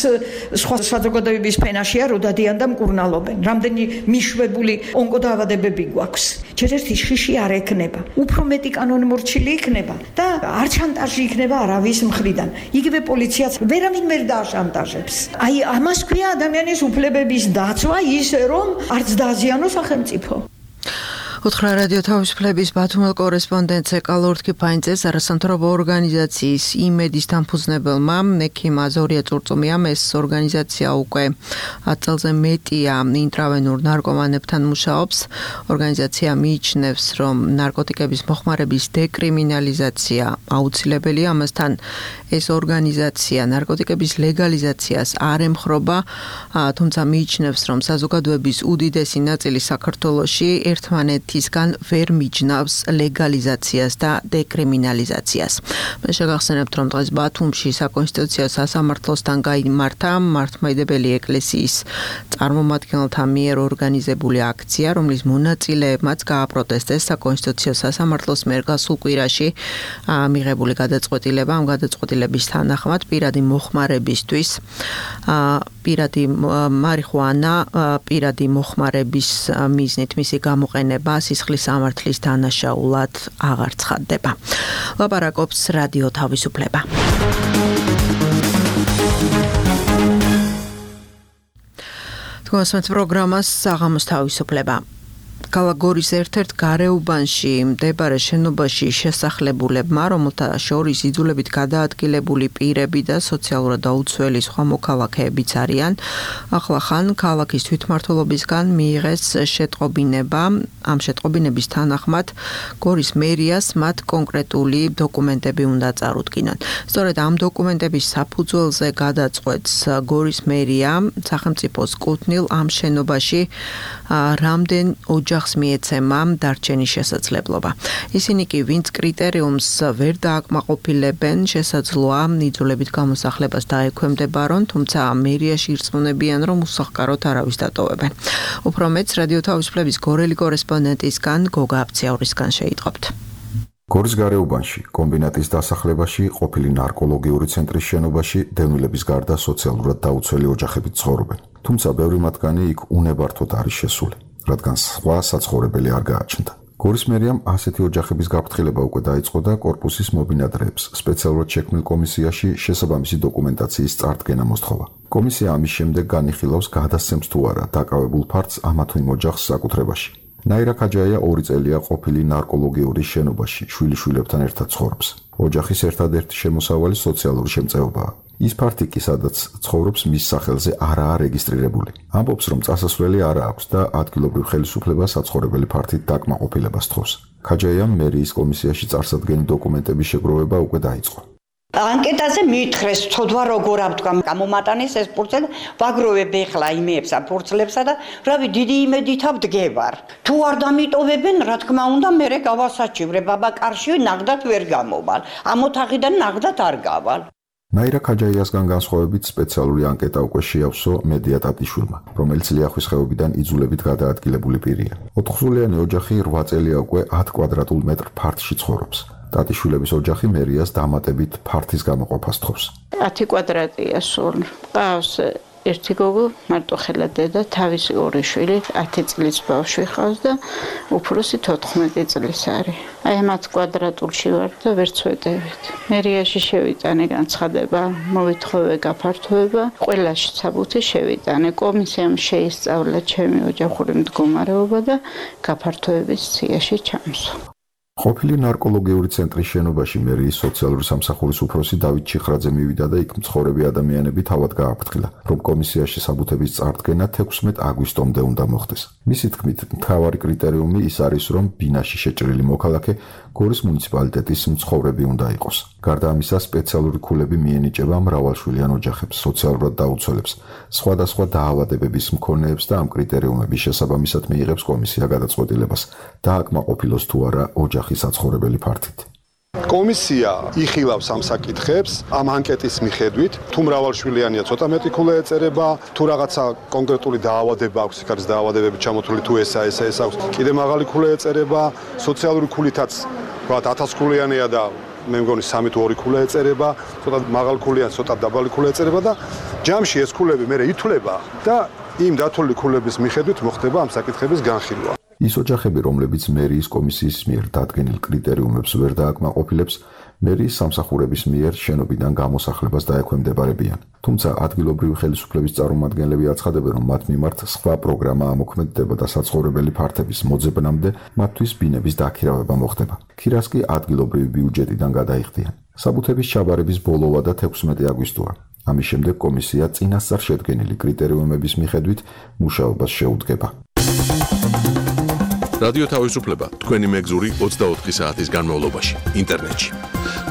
სხვა საზოგადოების ფენაშია, რომ დადიან და მკურნალობენ. რამდენი მიშვებული ონკოდაავადებები გვაქვს. ჯერ ერთი შიში არ ექნება. უფრო მეტი კანონმორჩილი იქნება და არ შანტაჟი იქნება არავის მხრიდან. იგივე პოლიციაც ვერავინ ვერ დააშანტაჟებს. აი ამას ქვია ადამიანის უფლებების დაცვა, ისე რომ არც დააზიანოს სახელმწიფო. უთხრა რადიო თავისუფლების ბათუმელ კორესპონდენტს ეკალორთ კიფაინძეს არასამთავრობო ორგანიზაციის იმედის დამფუძნებელმა ექიმ ზორია წურწუმიამ ეს ორგანიზაცია უკვე ათ წელზე მეტია ინტრავენურ ნარკომანებთან მუშაობს. ორგანიზაცია მიიჩნევს, რომ ნარკოტიკების მოხმარების დეკრიმინალიზაცია აუცილებელია. ამასთან ეს ორგანიზაცია ნარკოტიკების ლეგალიზაციას არ ემხრობა, თუმცა მიიჩნევს, რომ საზოგადოების უდიდესი ნაწილი საქართველოში ერთმანეთისგან ვერ მიჯნავს ლეგალიზაციას და დეკრიმინალიზაციას. მე შეგახსენებთ, რომ დღეს ბათუმში საკონსტიტუციო სასამართლოსთან გაიმართა მართლმადიდებელი ეკლესიის წარმომადგენელთა მიერ ორგანიზებული აქცია, რომლის მონაწილეებმაც გააპროტესტეს საკონსტიტუციო სასამართლოს მიერ გასულ კვირაში მიღებული გადაწყვეტილება. ამ გადაწყვეტილების თანახმად პირადი მოხმარებისთვის პირადი მარიხუანა პირადი მოხმარების მიზნით მისი გამოყენება სისხლის სამართლის დანაშაულად აღარ ცხადდება. ლაპარაკობს რადიო თავისუფლება. თქვენს პროგრამას საღამოს თავისუფლება. კალაგორის ერთ-ერთ გარეუბანში მდებარე შენობაში შესახლებულებმა, რომელთა შორის იძულებით გადაადგილებული პირები და სოციალურად დაუცველი სხვა მოქალაქეებიც არიან, ახლა ხან ქალაქის თვითმმართველობისგან მიიღეს შეტყობინება. ამ შეტყობინების თანახმად გორის მერიას მათ კონკრეტული დოკუმენტები უნდა წარუდგინონ. სწორედ ამ დოკუმენტების საფუძველზე გადაწყვეტს გორის მერია სახელმწიფოს კუთვნილ ამ შენობაში რამდენ ოჯახს მიეცემა დარჩენის შესაძლებლობა. ისინი კი ვინც კრიტერიუმს ვერ დააკმაყოფილებენ, შესაძლოა იძულებით გამოსახლებას დაექვემდებარონ, თუმცა მერიაში ირწმუნებიან, რომ უსახკაროდ არავის დატოვებენ. უფრო მეც რადიო თავისუფლების გორელი კორესპონდენტისგან გოგა აფციაურისგან შეიტყობთ. გორის გარეუბანში, კომბინატის დასახლებაში, ყოფილი ნარკოლოგიური ცენტრის შენობაში დევნილების გარდა სოციალურად დაუცველი ოჯახები ცხოვრობენ. თუმცა ბევრი მათგანი იქ უნებართოდ არის შესული, რადგან სხვა საცხოვრებელი არ გააჩნდა. გორის მერიამ ასეთი ოჯახების გაფრთხილება უკვე დაიწყო და კორპუსის მობინადრეებს სპეციალურად შექმნილ კომისიაში შესაბამისი დოკუმენტაციის წარდგენა მოსთხოვა. კომისია ამის შემდეგ განიხილავს გადასცემს თუ არა დაკავებულ ფართს ამა თუ იმ ოჯახს საკუთრებაში. ნაირა ქაჯაია ორი წელია ყოფილი ნარკოლოგიური შენობაში შვილიშვილებთან ერთად ცხოვრობს. ოჯახის ერთადერთი შემოსავალი სოციალური შემწეობაა. ის ფართი კი სადაც ცხოვრობს მის სახელზე არაა რეგისტრირებული. ამბობს, რომ წასასვლელი არა აქვს და ადგილობრივ ხელისუფლებას საცხოვრებელი ფართით დაკმაყოფილებას თხოვს. ქაჯაიამ მერიის კომისიაში წარსადგენი დოკუმენტების შეგროვება უკვე დაიწყო. ანკეტაზე მითხრეს, თოდვა როგორ ავთქვა გამომატანის ეს ფურცელი, ვაგროვებ ეხლა იმეებსა, ფურცლებსა და რავი, დიდი იმედით ავდგევარ. თუ არ დამიტოვებენ, რა თქმა უნდა, მე გავასაჩივრებ, აბა კარში ნაღდად ვერ გამოვალ. ამ ოთახიდან ნაღდად არ გავალ. ნაირა ქაჯაიასგან განსხვავებით სპეციალური ანკეტა უკვე შეავსო მედია ტატიშვილმა, რომელიც ლიახვის ხეობიდან იძულებით გადაადგილებული პირია. ოთხსულიანი ოჯახი რვა წელია უკვე ათ კვადრატულ მეტრ ფართში ცხოვრობს. ტატიშვილების ოჯახი მერიას დამატებით ფართის გამოყოფას თხოვს. ათი კვადრატია სულ. ყავს ერთი გოგო, მარტოხელა დედა, თავისი ორი შვილი, ათი წლის ბავშვი ყავს და უფროსი თოთხმეტი წლის არის. აი ამ ათ კვადრატულში ვარ და ვერ წვეტებით. მერიაში შევიტანე განცხადება, მოვითხოვე გაფართოება, ყველაში საბუთი შევიტანე. კომისიამ შეისწავლა ჩემი ოჯახური მდგომარეობა და გაფართოების სიაში ჩამსვა. ყოფილი ნარკოლოგიური ცენტრის შენობაში მერიის სოციალური სამსახურის უფროსი დავით ჩიხრაძე მივიდა და იქ მცხოვრები ადამიანები თავად გააფრთხილა, რომ კომისიაში საბუთების წარდგენა თექვსმეტ აგვისტომდე უნდა მოხდეს. მისი თქმით, მთავარი კრიტერიუმი ის არის, რომ ბინაში შეჭრილი მოქალაქე გორის მუნიციპალიტეტის მცხოვრები უნდა იყოს. გარდა ამისა, სპეციალური ქულები მიენიჭება მრავალშვილიან ოჯახებს, სოციალურად დაუცველებს, სხვადასხვა დაავადებების მქონეებს და ამ კრიტერიუმების შესაბამისად მიიღებს კომისია გადაწყვეტილებას, დააკმაყოფილოს თუ არა ოჯახი საცხოვრებელი ფართით. კომისია იხილავს ამ საკითხებს ამ ანკეტის მიხედვით, თუ მრავალშვილიანია ცოტა მეტი ქულა ეწერება, თუ რაღაცა კონკრეტული დაავადება აქვს, იქ არის დაავადებები ჩამოთვლილი, თუ ესა ესა ეს აქვს, კიდე მაღალი ქულა ეწერება, სოციალური ქულითაც ვთქვათ ათას ქულიანია და მე მგონი სამი თუ ორი ქულა ეწერება, ცოტა მაღალი ქულიან, ცოტა დაბალი ქულა ეწერება და ჯამში ეს ქულები მე ითვლება და იმ დათვლილი ქულების მიხედვით მოხდება ამ საკითხების განხილვა. ის ოჯახები, რომლებიც მერიის კომისიის მიერ დადგენილ კრიტერიუმებს ვერ დააკმაყოფილებს, მერიის სამსახურების მიერ შენობიდან გამოსახლებას დაექვემდებარებიან. თუმცა ადგილობრივი ხელისუფლების წარმომადგენლები აცხადებენ, რომ მათ მიმართ სხვა პროგრამა ამოქმედდება და საცხოვრებელი ფართების მოძებნამდე მათთვის ბინების დაქირავება მოხდება. ქირას კი ადგილობრივი ბიუჯეტიდან გადაიხდიან. საბუთების ჩაბარების ბოლოვა და თექვსმეტი აგვისტოა. ამის შემდეგ კომისია წინასწარ შედგენილი კრიტერიუმების მიხედვით მუშაობას შეუდგება. რადიო თავისუფლება თქვენი მეგზური ოცდაოთხი საათის განმავლობაში ინტერნეტში.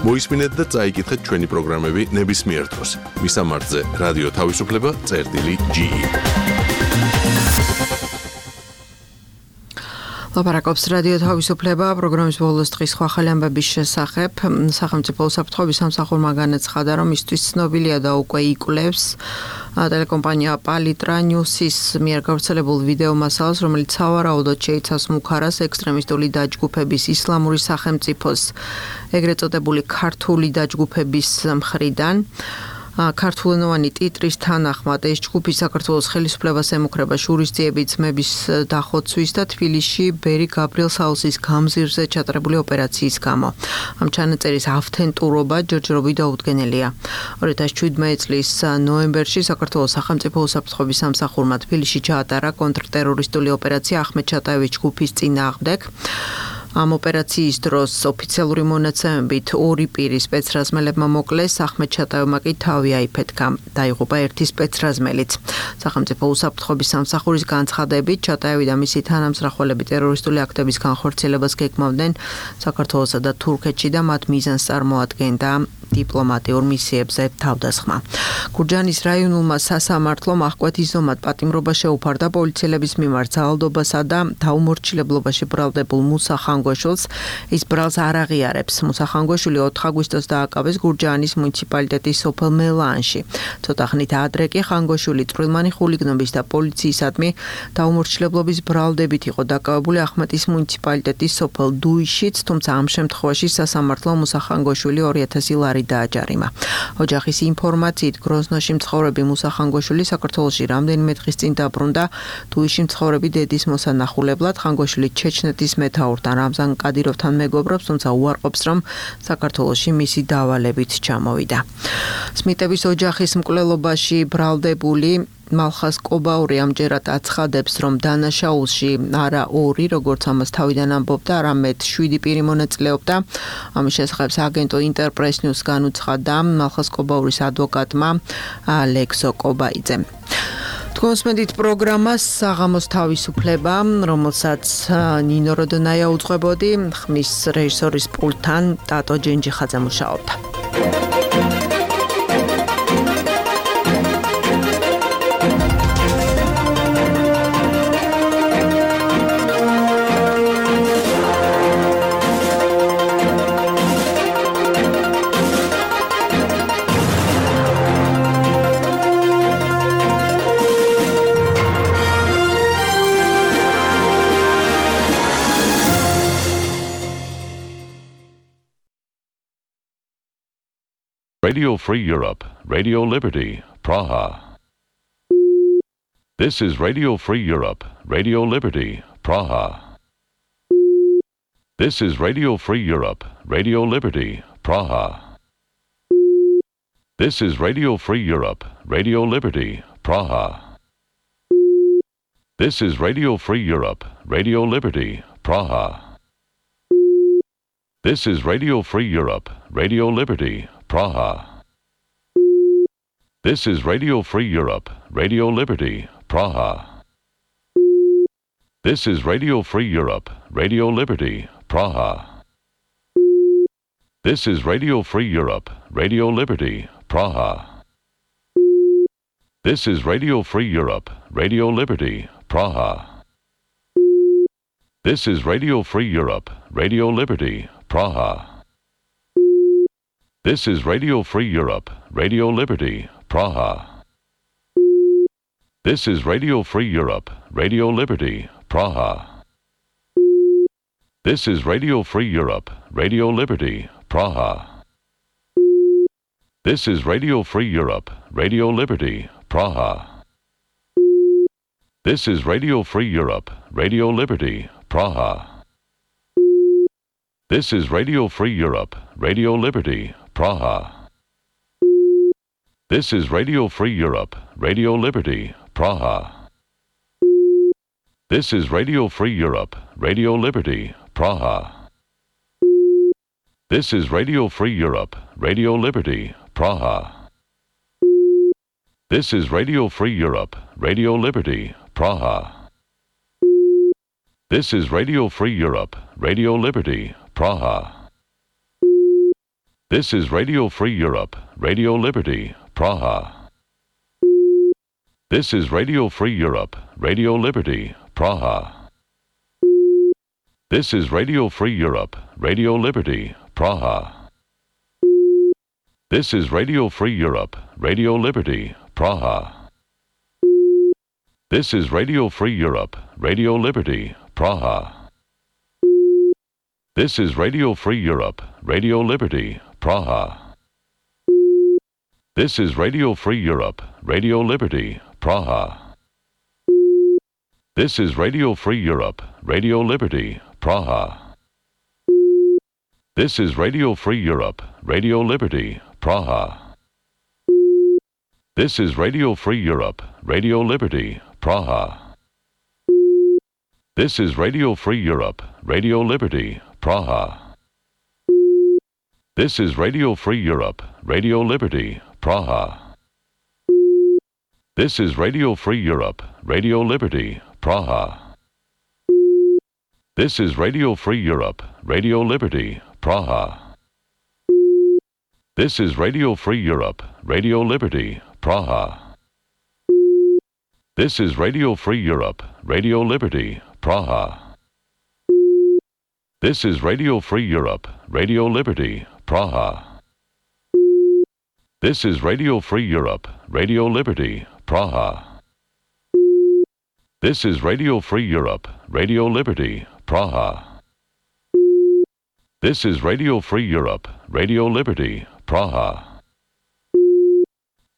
მოისმინეთ და წაიკითხეთ ჩვენი პროგრამები ნებისმიერ დროს. მისამართზე რადიო თავისუფლება წერტილი ჯი ი. ლაპარაკობს რადიო თავისუფლება პროგრამის ბოლოს დღის სხვა ახალი ამბების შესახებ. სახელმწიფო უსაფრთხოების სამსახურმა განაცხადა, რომ მისთვის ცნობილია და უკვე იკვლევს ტელეკომპანია პალიტრა ნიუსის მიერ გავრცელებულ ვიდეო მასალას, რომელიც სავარაუდოდ შეიცავს მუქარას ექსტრემისტული დაჯგუფების ისლამური სახელმწიფოს ეგრეთ წოდებული ქართული დაჯგუფების მხრიდან. ქართულენოვანი ტიტრის თანახმად ეს ჯგუფი საქართველოს ხელისუფლებას ემუქრება შურისძიების ძმების დახოცვის და თბილისში ბერი გაბრიელ საუსის გამზირზე ჩატარებული ოპერაციის გამო. ამ ჩანაწერის ავთენტურობა ჯერჯერობით დაუდგენელია. ორი ათას შვიდმეტი წლის ნოემბერში საქართველოს სახელმწიფო უსაფრთხოების სამსახურმა თბილისში ჩაატარა კონტრტერორისტული ოპერაცია ახმედ ჩატაევის ჯგუფის წინააღმდეგ. ამ ოპერაციის დროს ოფიციალური მონაცემებით ორი პირი სპეცრაზმელებმა მოკლეს, ახმედ ჩატაევმა კი თავი აიფეთქა. დაიღუპა ერთი სპეცრაზმელიც. სახელმწიფო უსაფრთხოების სამსახურის განცხადებით, ჩატაევი და მისი თანამსახველები ტერორისტული აქტების განხორციელებას გეგმავდნენ საქართველოსა და თურქეთში და მათ მიზანს წარმოადგენდა დიპლომატიურ მისიებზე თავდასხმა. გურჯაანის რაიონულმა სასამართლომ აღკვეთისდომად პატიმრობა შეუფარდა პოლიციელების მიმართ ძალადობასა და დაუმორჩილებლობაში ბრალდებულ მუსა ხანგოშვილს. ის ბრალს არ აღიარებს. მუსა ხანგოშვილი ოთხ აგვისტოს დააკავეს გურჯაანის მუნიციპალიტეტის სოფელ მელანში. ცოტა ხნით ადრე კი ხანგოშვილი წვრილმანი ხულიგნობის და პოლიციისადმი დაუმორჩილებლობის ბრალდებით იყო დაკავებული ახმეტის მუნიციპალიტეტის სოფელ დუიშიც, თუმცა ამ შემთხვევაში სასამართლომ მუსა ხანგოშვილი ორი ათასი ლარი დააჯარიმა. ოჯახის ინფორმაციით გროზნოში მცხოვრები მუსა ხანგოშვილი საქართველოში რამდენიმე დღის წინ დაბრუნდა დუიში მცხოვრები დედის მოსანახულებლად. ხანგოშვილი ჩეჩნეთის მეთაურთან რამზან კადიროვთან მეგობრობს, თუმცა უარყოფს, რომ საქართველოში მისი დავალებით ჩამოვიდა. სმიტების ოჯახის მკვლელობაში ბრალდებული მალხას კობაური ამჯერად აცხადებს, რომ დანაშაულში არა ორი, როგორც ამას თავიდან ამბობდა, არამედ შვიდი პირი მონაწილეობდა. ამის შესახებ აგენტო ინტერპრეს ნიუს განუცხადა მალხას კობაურის ადვოკატმა ლექსო კობაიძემ. თქვენსმენდით პროგრამას საღამოს თავისუფლება, რომელსაც ნინო როდონაია უძღვებოდი, ხმის რეჟისორის პულტთან ტატო ჯენჯიხაძე მუშაობდა. Radio Free Europe, Radio Liberty, Praha. This is Radio Free Europe, Radio Liberty, Praha. This is Radio Free Europe, Radio Liberty, Praha. This is Radio Free Europe, Radio Liberty, Praha. This is Radio Free Europe, Radio Liberty, Praha. This is Radio Free Europe, Radio Liberty, Praha. This is Radio Free Europe, Radio Liberty, Praha. This is Radio Free Europe, Radio Liberty, Praha. This is Radio Free Europe, Radio Liberty, Praha. This is Radio Free Europe, Radio Liberty, Praha. This is Radio Free Europe, Radio Liberty, Praha. This is Radio Free Europe, Radio Liberty, Praha. This is Radio Free Europe, Radio Liberty, Praha. This is Radio Free Europe, Radio Liberty, Praha. This is Radio Free Europe, Radio Liberty, Praha. This is Radio Free Europe, Radio Liberty, Praha. This is Radio Free Europe, Radio Liberty, Praha. This is Radio Free Europe, Radio Liberty, Praha. This is Radio Free Europe, Radio Liberty, Praha. This is Radio Free Europe, Radio Liberty, Praha. This is Radio Free Europe, Radio Liberty, Praha. This is Radio Free Europe, Radio Liberty, Praha. This is Radio Free Europe, Radio Liberty, Praha. This is Radio Free Europe, Radio Liberty, Praha. This is Radio Free Europe, Radio Liberty, Praha. This is Radio Free Europe, Radio Liberty, Praha. This is Radio Free Europe, Radio Liberty, Praha. This is Radio Free Europe, Radio Liberty, Praha. This is Radio Free Europe, Radio Liberty, Praha. This is Radio Free Europe, Radio Liberty, Praha. This is Radio Free Europe, Radio Liberty, Praha. This is Radio Free Europe, Radio Liberty, Praha. This is Radio Free Europe, Radio Liberty, Praha. This is Radio Free Europe, Radio Liberty, Praha. This is Radio Free Europe, Radio Liberty, Praha. This is Radio Free Europe, Radio Liberty, Praha. This is Radio Free Europe, Radio Liberty, Praha. This is Radio Free Europe, Radio Liberty, Praha. This is Radio Free Europe, Radio Liberty, Praha. This is Radio Free Europe, Radio Liberty, Praha. This is Radio Free Europe, Radio Liberty, Praha. This is Radio Free Europe, Radio Liberty, Praha.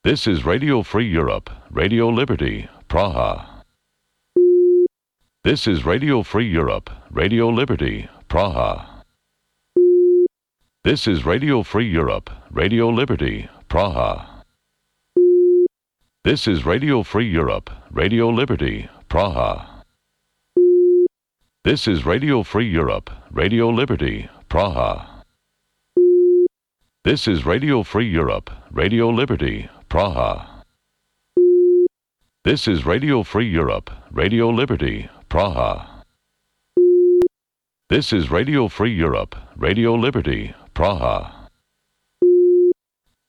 This is Radio Free Europe, Radio Liberty, Praha. This is Radio Free Europe, Radio Liberty, Praha. This is Radio Free Europe, Radio Liberty, Praha. This is Radio Free Europe, Radio Liberty, Praha. This is Radio Free Europe, Radio Liberty, Praha. This is Radio Free Europe, Radio Liberty, Praha. This is Radio Free Europe, Radio Liberty, Praha. This is Radio Free Europe, Radio Liberty, Praha.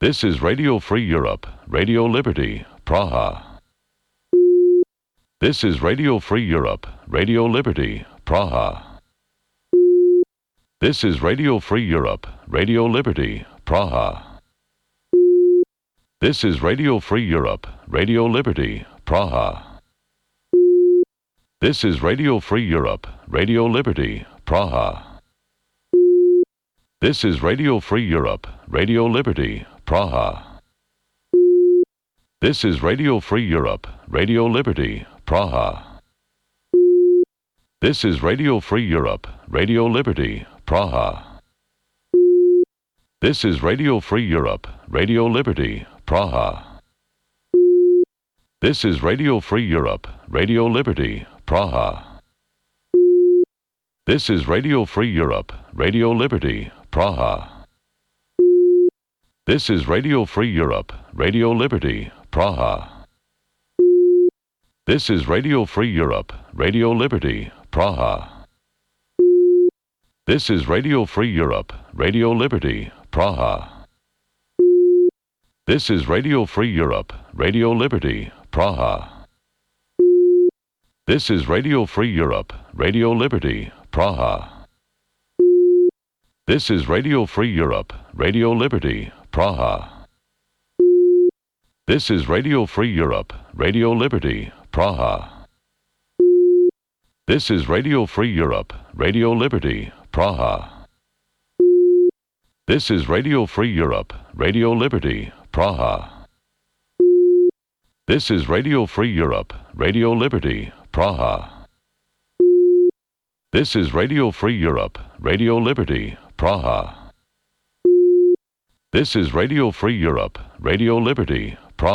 This is Radio Free Europe, Radio Liberty, Praha. This is Radio Free Europe, Radio Liberty, Praha. This is Radio Free Europe, Radio Liberty, Praha. This is Radio Free Europe, Radio Liberty, Praha. This is Radio Free Europe, Radio Liberty, Praha. This is Radio Free Europe, Radio Liberty, Praha. This is Radio Free Europe, Radio Liberty, Praha. This is Radio Free Europe, Radio Liberty, Praha. This is Radio Free Europe, Radio Liberty, Praha. This is Radio Free Europe, Radio Liberty, Praha. This is Radio Free Europe, Radio Liberty, Praha. This is Radio Free Europe, Radio Liberty, Praha. This is Radio Free Europe, Radio Liberty, Praha. This is Radio Free Europe, Radio Liberty, Praha. This is Radio Free Europe, Radio Liberty, Praha. This is Radio Free Europe, Radio Liberty, Praha. This is Radio Free Europe, Radio Liberty, Praha. This is Radio Free Europe, Radio Liberty, Praha. This is Radio Free Europe, Radio Liberty, Praha. This is Radio Free Europe, Radio Liberty, Praha. This is Radio Free Europe, Radio Liberty, Praha. This is Radio Free Europe, Radio Liberty, Praha. This is Radio Free Europe, Radio Liberty, Praha.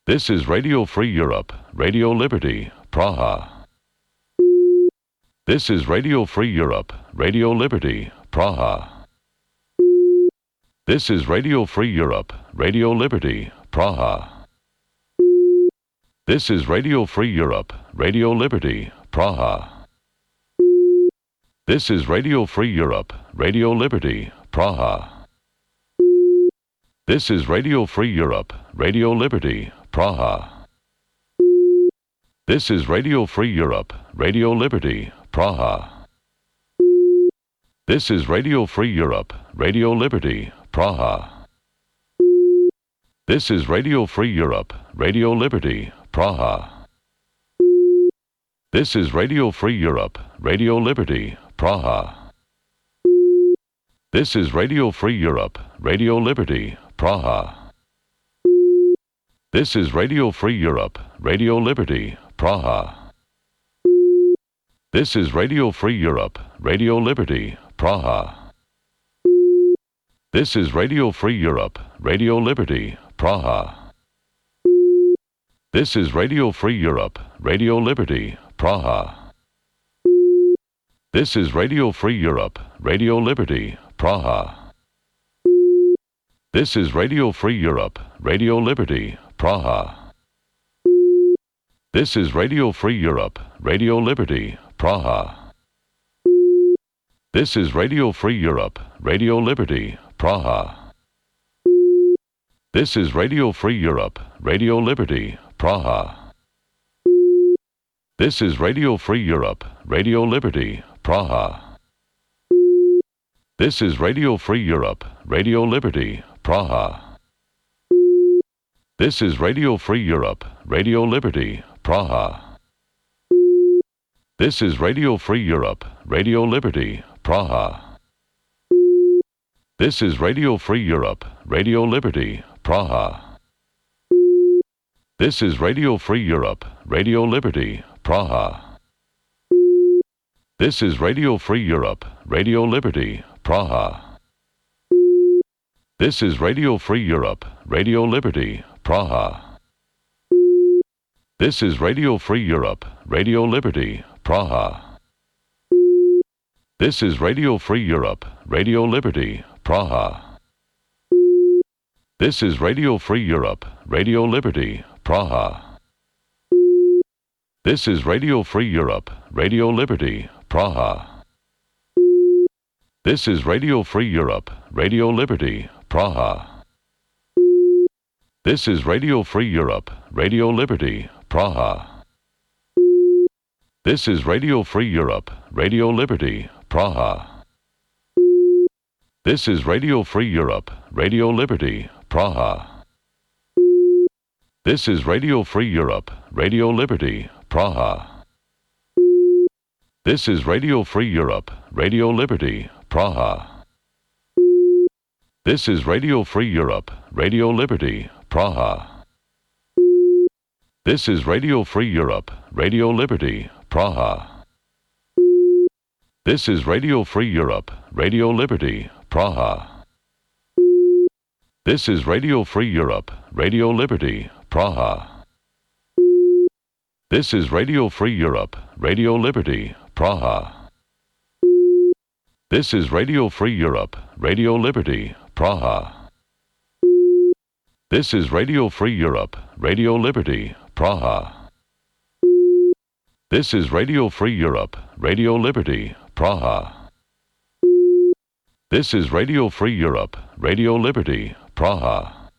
This is Radio Free Europe, Radio Liberty, Praha. This is Radio Free Europe, Radio Liberty, Praha. This is Radio Free Europe, Radio Liberty, Praha. This is Radio Free Europe, Radio Liberty, Praha. This is Radio Free Europe, Radio Liberty, Praha. This is Radio Free Europe, Radio Liberty, Praha. This is Radio Free Europe, Radio Liberty, Praha. This is Radio Free Europe, Radio Liberty, Praha. This is Radio Free Europe, Radio Liberty, Praha. This is Radio Free Europe, Radio Liberty, Praha. This is Radio Free Europe, Radio Liberty, Praha. This is Radio Free Europe, Radio Liberty, Praha. This is Radio Free Europe, Radio Liberty, Praha. This is Radio Free Europe, Radio Liberty, Praha. This is Radio Free Europe, Radio Liberty, Praha. This is Radio Free Europe, Radio Liberty, Praha. This is Radio Free Europe, Radio Liberty, Praha. This is Radio Free Europe, Radio Liberty, Praha. This is Radio Free Europe, Radio Liberty, Praha. This is Radio Free Europe, Radio Liberty, Praha. This is Radio Free Europe, Radio Liberty, Praha. This is Radio Free Europe, Radio Liberty, Praha. This is Radio Free Europe, Radio Liberty, Praha. This is Radio Free Europe, Radio Liberty, Praha. This is Radio Free Europe, Radio Liberty, Praha. This is Radio Free Europe, Radio Liberty, Praha. This is Radio Free Europe, Radio Liberty, Praha. This is Radio Free Europe, Radio Liberty, Praha. This is Radio Free Europe, Radio Liberty, Praha. This is Radio Free Europe, Radio Liberty, Praha. This is Radio Free Europe, Radio Liberty, Praha. This is Radio Free Europe, Radio Liberty, Praha. This is Radio Free Europe, Radio Liberty, Praha. This is Radio Free Europe, Radio Liberty, Praha. This is Radio Free Europe, Radio Liberty, Praha. This is Radio Free Europe, Radio Liberty, Praha. This is Radio Free Europe, Radio Liberty, Praha. This is Radio Free Europe, Radio Liberty, Praha. This is Radio Free Europe, Radio Liberty, Praha. This is Radio Free Europe, Radio Liberty, Praha. This is Radio Free Europe, Radio Liberty, Praha. This is Radio Free Europe, Radio Liberty, Praha. This is Radio Free Europe, Radio Liberty, Praha. This is Radio Free Europe, Radio Liberty, Praha. This is Radio Free Europe, Radio Liberty, Praha. This is Radio Free Europe, Radio Liberty, Praha. This is Radio Free Europe, Radio Liberty, Praha.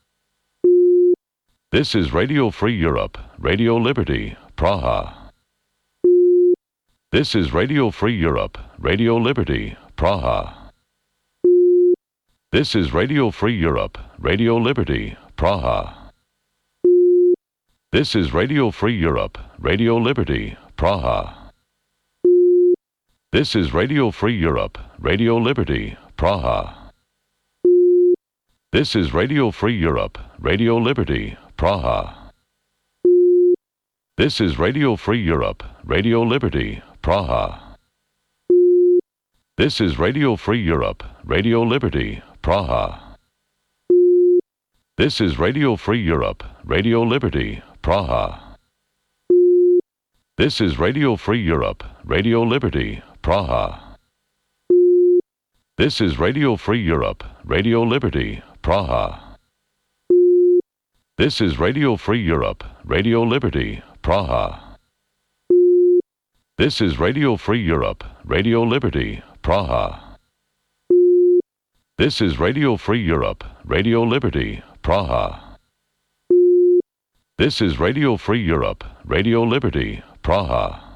This is Radio Free Europe, Radio Liberty, Praha. This is Radio Free Europe, Radio Liberty, Praha. This is Radio Free Europe, Radio Liberty, Praha. This is Radio Free Europe, Radio Liberty, Praha. This is Radio Free Europe, Radio Liberty, Praha. This is Radio Free Europe, Radio Liberty, Praha. This is Radio Free Europe, Radio Liberty, Praha. This is Radio Free Europe, Radio Liberty, Praha. This is Radio Free Europe, Radio Liberty, Praha. This is Radio Free Europe, Radio Liberty, Praha. This is Radio Free Europe, Radio Liberty, Praha. This is Radio Free Europe, Radio Liberty, Praha. This is Radio Free Europe, Radio Liberty, Praha. This is Radio Free Europe, Radio Liberty, Praha. This is Radio Free Europe, Radio Liberty, Praha.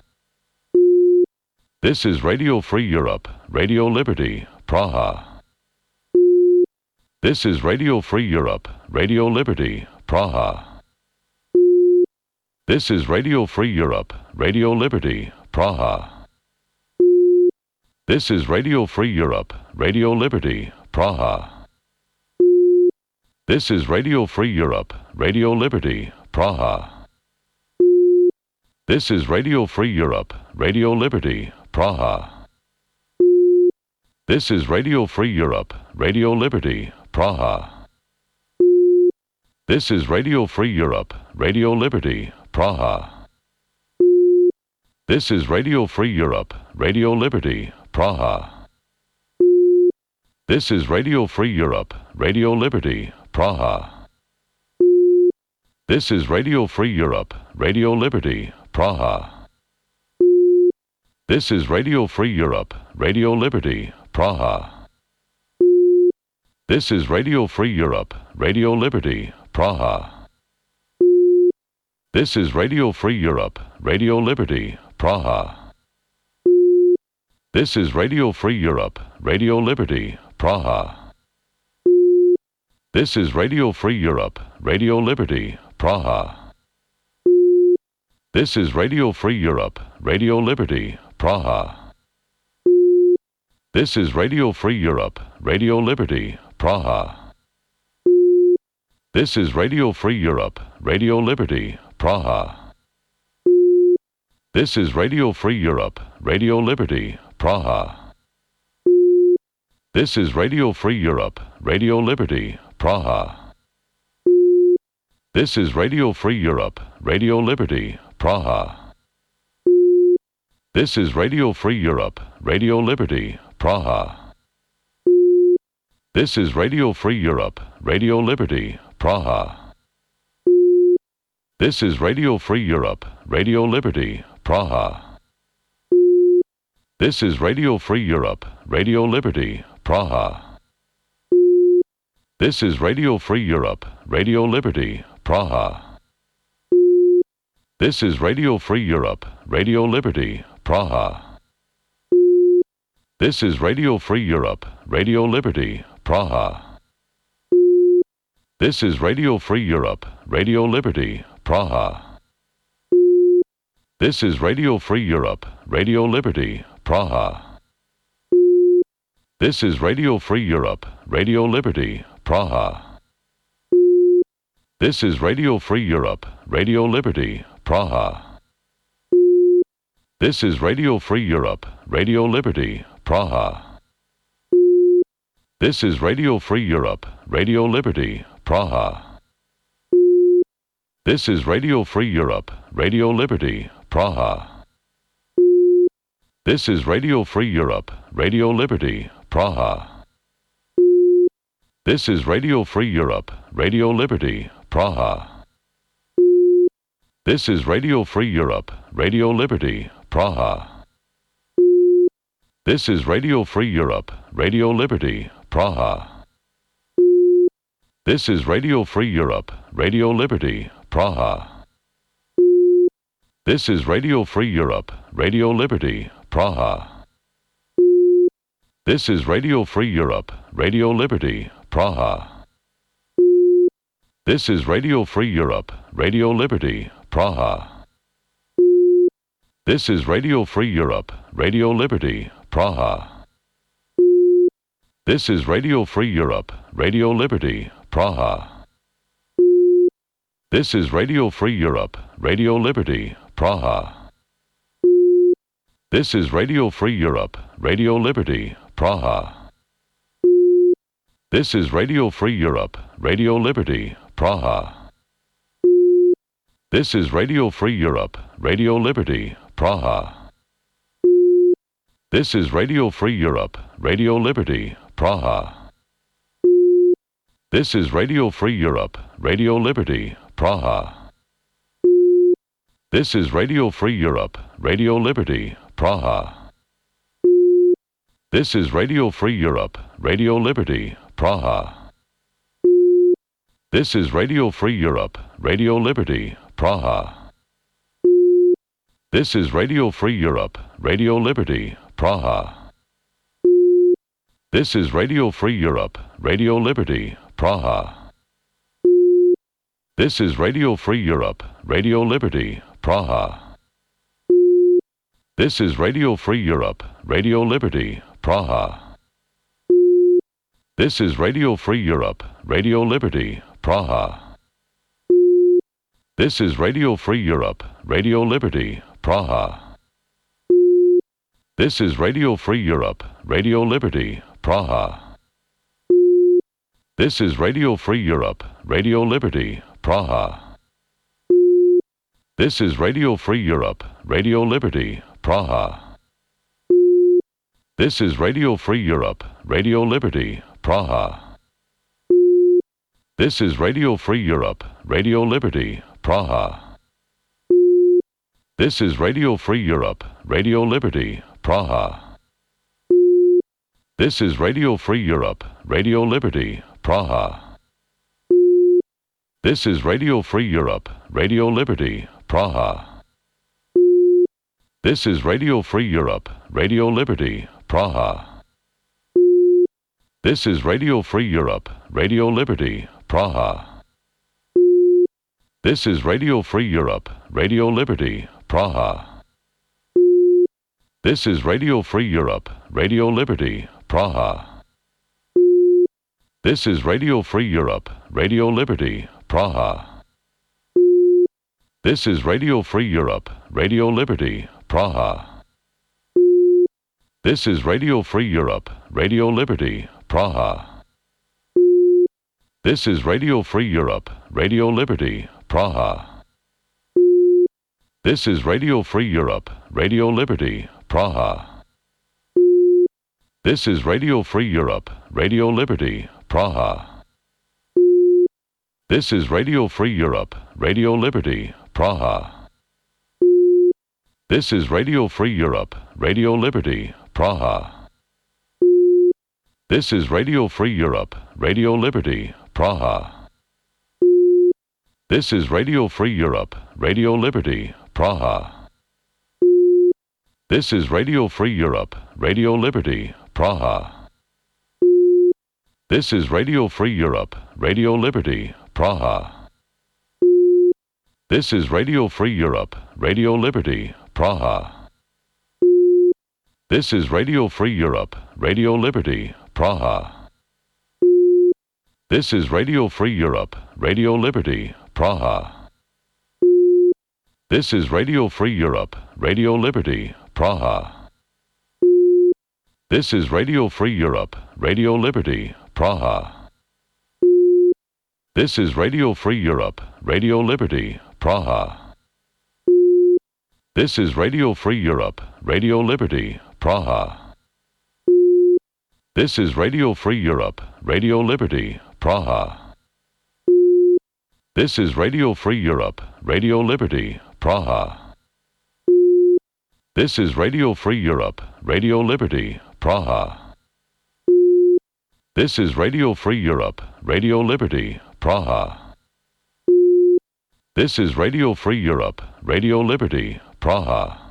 This is Radio Free Europe, Radio Liberty, Praha. This is Radio Free Europe, Radio Liberty, Praha. This is Radio Free Europe, Radio Liberty, Praha. This is Radio Free Europe, Radio Liberty, Praha. This is Radio Free Europe, Radio Liberty, Praha. This is Radio Free Europe, Radio Liberty, Praha. This is Radio Free Europe, Radio Liberty, Praha. This is Radio Free Europe, Radio Liberty, Praha. This is Radio Free Europe, Radio Liberty, Praha. This is Radio Free Europe, Radio Liberty, Praha. This is Radio Free Europe, Radio Liberty, Praha. This is Radio Free Europe, Radio Liberty, Praha. This is Radio Free Europe, Radio Liberty, Praha. This is Radio Free Europe, Radio Liberty, Praha. This is Radio Free Europe, Radio Liberty, Praha. This is Radio Free Europe, Radio Liberty, Praha. This is Radio Free Europe, Radio Liberty, Praha. This is Radio Free Europe, Radio Liberty, Praha. This is Radio Free Europe, Radio Liberty, Praha. This is Radio Free Europe, Radio Liberty, Praha. This is Radio Free Europe, Radio Liberty, Praha. This is Radio Free Europe, Radio Liberty, Praha. This is Radio Free Europe, Radio Liberty, Praha. This is Radio Free Europe, Radio Liberty, Praha. This is Radio Free Europe, Radio Liberty, Praha. This is Radio Free Europe, Radio Liberty, Praha. This is Radio Free Europe, Radio Liberty, Praha. This is Radio Free Europe, Radio Liberty, Praha. This is Radio Free Europe, Radio Liberty, Praha. This is Radio Free Europe, Radio Liberty, Praha. This is Radio Free Europe, Radio Liberty, Praha. This is Radio Free Europe, Radio Liberty, Praha. This is Radio Free Europe, Radio Liberty, Praha. This is Radio Free Europe, Radio Liberty, Praha. This is Radio Free Europe, Radio Liberty, Praha. This is Radio Free Europe, Radio Liberty, Praha. This is Radio Free Europe, Radio Liberty, Praha. This is Radio Free Europe, Radio Liberty, Praha. This is Radio Free Europe, Radio Liberty, Praha. This is Radio Free Europe, Radio Liberty, Praha. This is Radio Free Europe, Radio Liberty, Praha. This is Radio Free Europe, Radio Liberty, Praha. This is Radio Free Europe, Radio Liberty, Praha. This is Radio Free Europe, Radio Liberty, Praha. This is Radio Free Europe, Radio Liberty, Praha. This is Radio Free Europe, Radio Liberty, Praha. This is Radio Free Europe, Radio Liberty, Praha. This is Radio Free Europe, Radio Liberty, Praha. This is Radio Free Europe, Radio Liberty, Praha. This is Radio Free Europe, Radio Liberty, Praha. This is Radio Free Europe, Radio Liberty, Praha. This is Radio Free Europe, Radio Liberty, Praha. This is Radio Free Europe, Radio Liberty, Praha. This is Radio Free Europe, Radio Liberty, Praha. This is Radio Free Europe, Radio Liberty, Praha. This is Radio Free Europe, Radio Liberty, Praha. This is Radio Free Europe, Radio Liberty, Praha. This is Radio Free Europe, Radio Liberty, Praha. This is Radio Free Europe, Radio Liberty, Praha. This is Radio Free Europe, Radio Liberty, Praha. This is Radio Free Europe, Radio Liberty, Praha. This is Radio Free Europe, Radio Liberty, Praha. This is Radio Free Europe, Radio Liberty, Praha. This is Radio Free Europe, Radio Liberty, Praha. This is Radio Free Europe, Radio Liberty, Praha. This is Radio Free Europe, Radio Liberty, Praha. This is Radio Free Europe, Radio Liberty, Praha. This is Radio Free Europe, Radio Liberty, Praha. This is Radio Free Europe, Radio Liberty, Praha. This is Radio Free Europe, Radio Liberty, Praha. This is Radio Free Europe, Radio Liberty, Praha. This is Radio Free Europe, Radio Liberty, Praha. This is Radio Free Europe, Radio Liberty, Praha. This is Radio Free Europe, Radio Liberty, Praha. This is Radio Free Europe, Radio Liberty, Praha. This is Radio Free Europe, Radio Liberty, Praha. This is Radio Free Europe, Radio Liberty, Praha. This is Radio Free Europe, Radio Liberty, Praha. This is Radio Free Europe, Radio Liberty, Praha. This is Radio Free Europe, Radio Liberty, Praha. This is Radio Free Europe, Radio Liberty, Praha. This is Radio Free Europe, Radio Liberty, Praha. This is Radio Free Europe, Radio Liberty, Praha. This is Radio Free Europe, Radio Liberty, Praha. This is Radio Free Europe, Radio Liberty, Praha. This is Radio Free Europe, Radio Liberty, Praha. This is Radio Free Europe, Radio Liberty, Praha. This is Radio Free Europe, Radio Liberty, Praha. This is Radio Free Europe, Radio Liberty, Praha. This is Radio Free Europe, Radio Liberty, Praha. This is Radio Free Europe, Radio Liberty, Praha. This is Radio Free Europe, Radio Liberty, Praha. This is Radio Free Europe, Radio Liberty, Praha. This is Radio Free Europe, Radio Liberty, Praha. This is Radio Free Europe, Radio Liberty, Praha. This is Radio Free Europe, Radio Liberty, Praha. This is Radio Free Europe, Radio Liberty, Praha.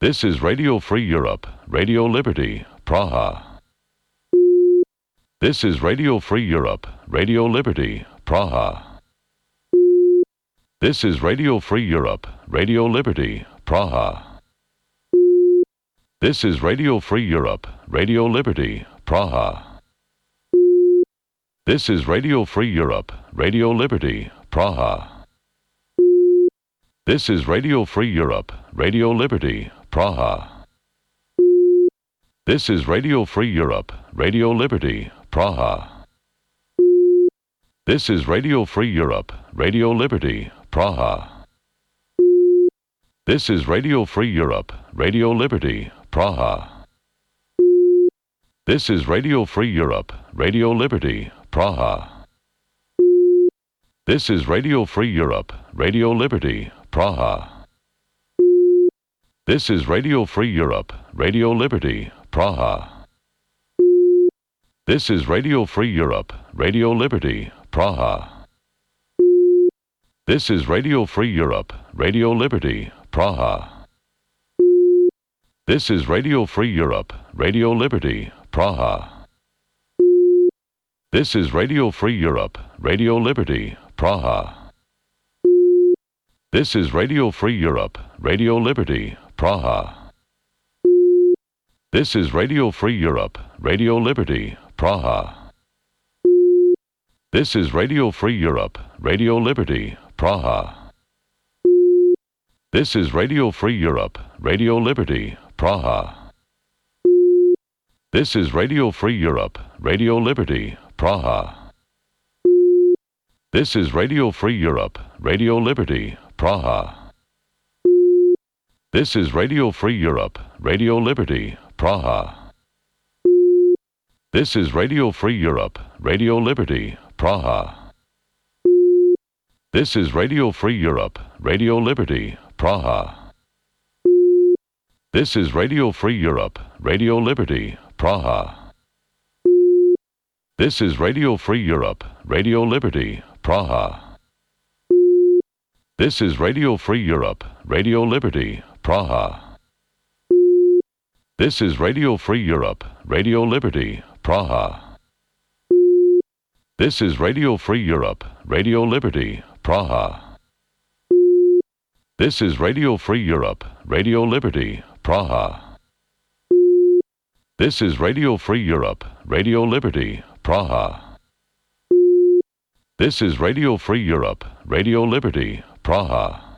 This is Radio Free Europe, Radio Liberty, Praha. This is Radio Free Europe, Radio Liberty, Praha. This is Radio Free Europe, Radio Liberty, Praha. This is Radio Free Europe, Radio Liberty, Praha. This is Radio Free Europe, Radio Liberty, Praha. This is Radio Free Europe, Radio Liberty, Praha. This is Radio Free Europe, Radio Liberty, Praha. This is Radio Free Europe, Radio Liberty, Praha. This is Radio Free Europe, Radio Liberty, Praha. This is Radio Free Europe, Radio Liberty, Praha. This is Radio Free Europe, Radio Liberty, Praha. This is Radio Free Europe, Radio Liberty, Praha. This is Radio Free Europe, Radio Liberty, Praha. This is Radio Free Europe, Radio Liberty, Praha. This is Radio Free Europe, Radio Liberty, Praha. This is Radio Free Europe, Radio Liberty, Praha. This is Radio Free Europe, Radio Liberty, Praha. This is Radio Free Europe, Radio Liberty, Praha. This is Radio Free Europe, Radio Liberty, Praha. This is Radio Free Europe, Radio Liberty, Praha. This is Radio Free Europe, Radio Liberty, Praha. This is Radio Free Europe, Radio Liberty, Praha. This is Radio Free Europe, Radio Liberty, Praha. This is Radio Free Europe, Radio Liberty, Praha. This is Radio Free Europe, Radio Liberty, Praha. This is Radio Free Europe, Radio Liberty, Praha. This is Radio Free Europe, Radio Liberty, Praha. This is Radio Free Europe, Radio Liberty, Praha. This is Radio Free Europe, Radio Liberty, Praha. This is Radio Free Europe, Radio Liberty, Praha. This is Radio Free Europe, Radio Liberty, Praha. This is Radio Free Europe, Radio Liberty, Praha. This is Radio Free Europe, Radio Liberty, Praha.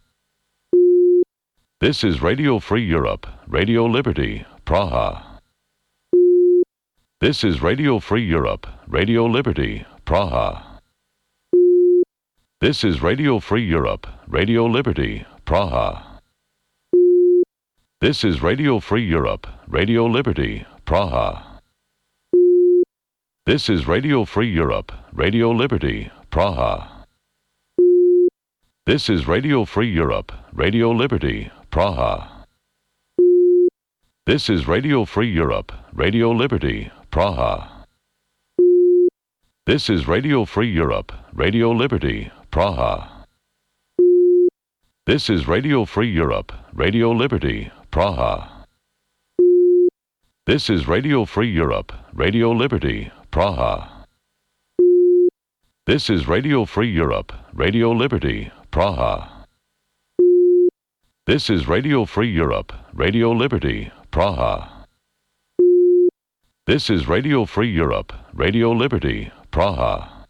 This is Radio Free Europe, Radio Liberty, Praha. This is Radio Free Europe, Radio Liberty, Praha. This is Radio Free Europe, Radio Liberty, Praha. This is Radio Free Europe, Radio Liberty, Praha. This is Radio Free Europe, Radio Liberty, Praha. This is Radio Free Europe, Radio Liberty, Praha. This is Radio Free Europe, Radio Liberty, Praha. This is Radio Free Europe, Radio Liberty, Praha. This is Radio Free Europe, Radio Liberty, Praha. This is Radio Free Europe, Radio Liberty, Praha. This is Radio Free Europe, Radio Liberty, Praha. This is Radio Free Europe, Radio Liberty, Praha. This is Radio Free Europe, Radio Liberty, Praha.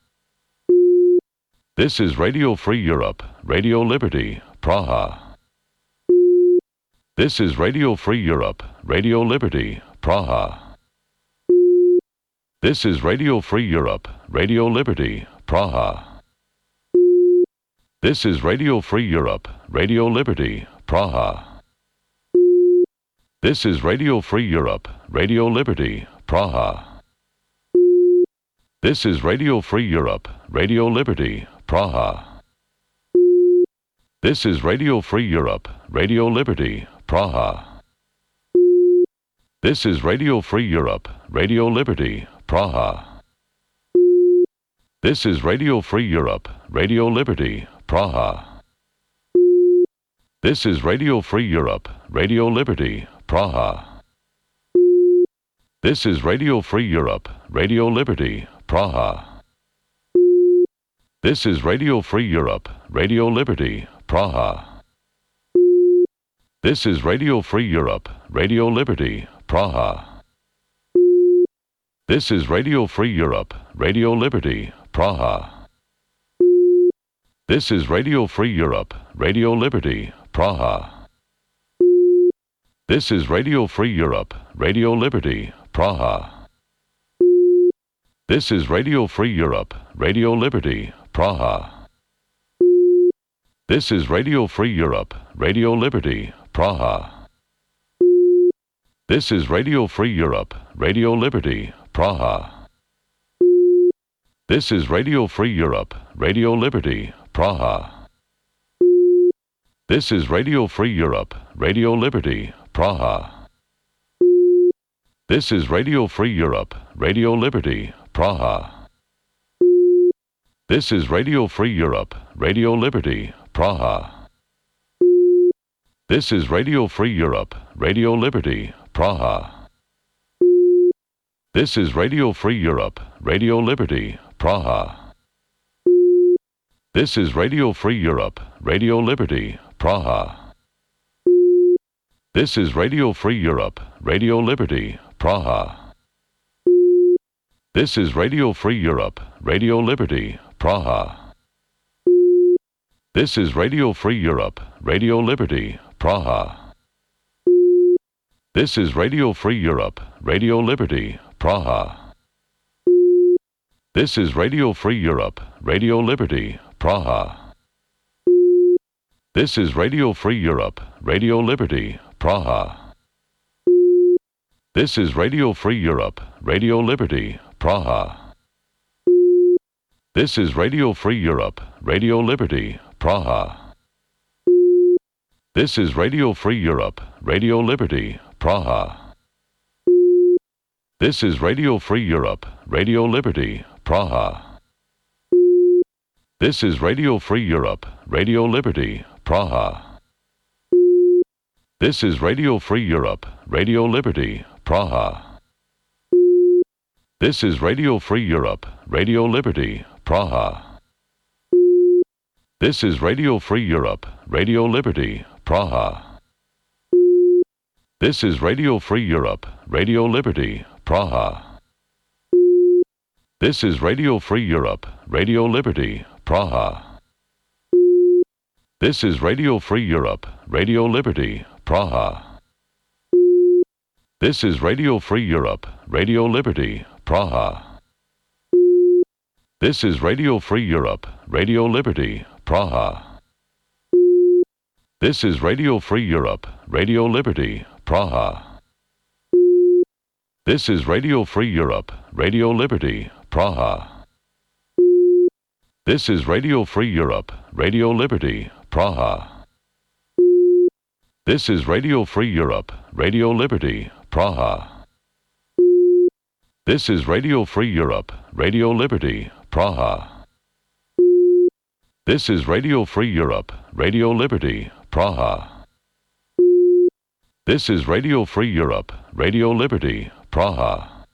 This is Radio Free Europe, Radio Liberty, Praha. This is Radio Free Europe, Radio Liberty, Praha. This is Radio Free Europe, Radio Liberty, Praha. This is Radio Free Europe, Radio Liberty, Praha. This is Radio Free Europe, Radio Liberty, Praha. This is Radio Free Europe, Radio Liberty, Praha. This is Radio Free Europe, Radio Liberty, Praha. This is Radio Free Europe, Radio Liberty, Praha. This is Radio Free Europe, Radio Liberty, Praha. This is Radio Free Europe, Radio Liberty, Praha. This is Radio Free Europe, Radio Liberty, Praha. This is Radio Free Europe, Radio Liberty, Praha. This is Radio Free Europe, Radio Liberty, Praha. This is Radio Free Europe, Radio Liberty, Praha. This is Radio Free Europe, Radio Liberty, Praha. This is Radio Free Europe, Radio Liberty, Praha. This is Radio Free Europe, Radio Liberty, Praha. This is Radio Free Europe, Radio Liberty, Praha. This is Radio Free Europe, Radio Liberty, Praha. This is Radio Free Europe, Radio Liberty, Praha. This is Radio Free Europe, Radio Liberty, Praha. This is Radio Free Europe, Radio Liberty, Praha. This is Radio Free Europe, Radio Liberty, Praha. This is Radio Free Europe, Radio Liberty, Praha. This is Radio Free Europe, Radio Liberty, Praha. This is Radio Free Europe, Radio Liberty, Praha. This is Radio Free Europe, Radio Liberty, Praha. This is Radio Free Europe, Radio Liberty, Praha. This is Radio Free Europe, Radio Liberty, Praha. This is Radio Free Europe, Radio Liberty, Praha. This is Radio Free Europe, Radio Liberty, Praha. This is Radio Free Europe, Radio Liberty, Praha. This is Radio Free Europe, Radio Liberty, Praha. This is Radio Free Europe, Radio Liberty, Praha. This is Radio Free Europe, Radio Liberty, Praha. This is Radio Free Europe, Radio Liberty, Praha. This is Radio Free Europe, Radio Liberty, Praha. This is Radio Free Europe, Radio Liberty, Praha. This is Radio Free Europe, Radio Liberty, Praha. This is Radio Free Europe, Radio Liberty, Praha. This is Radio Free Europe, Radio Liberty, Praha. This is Radio Free Europe, Radio Liberty, Praha. This is Radio Free Europe, Radio Liberty, Praha. This is Radio Free Europe, Radio Liberty, Praha. This is Radio Free Europe, Radio Liberty, Praha. This is Radio Free Europe, Radio Liberty, Praha. This is Radio Free Europe, Radio Liberty, Praha. This is Radio Free Europe, Radio Liberty, Praha. This is Radio Free Europe, Radio Liberty, Praha. This is Radio Free Europe, Radio Liberty, Praha. This is Radio Free Europe, Radio Liberty, Praha. This is Radio Free Europe, Radio Liberty, Praha.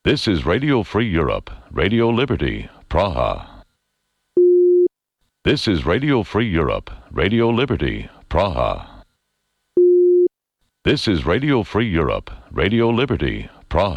This is Radio Free Europe, Radio Liberty, Praha. This is Radio Free Europe, Radio Liberty, Praha. This is Radio Free Europe, Radio Liberty, Praha.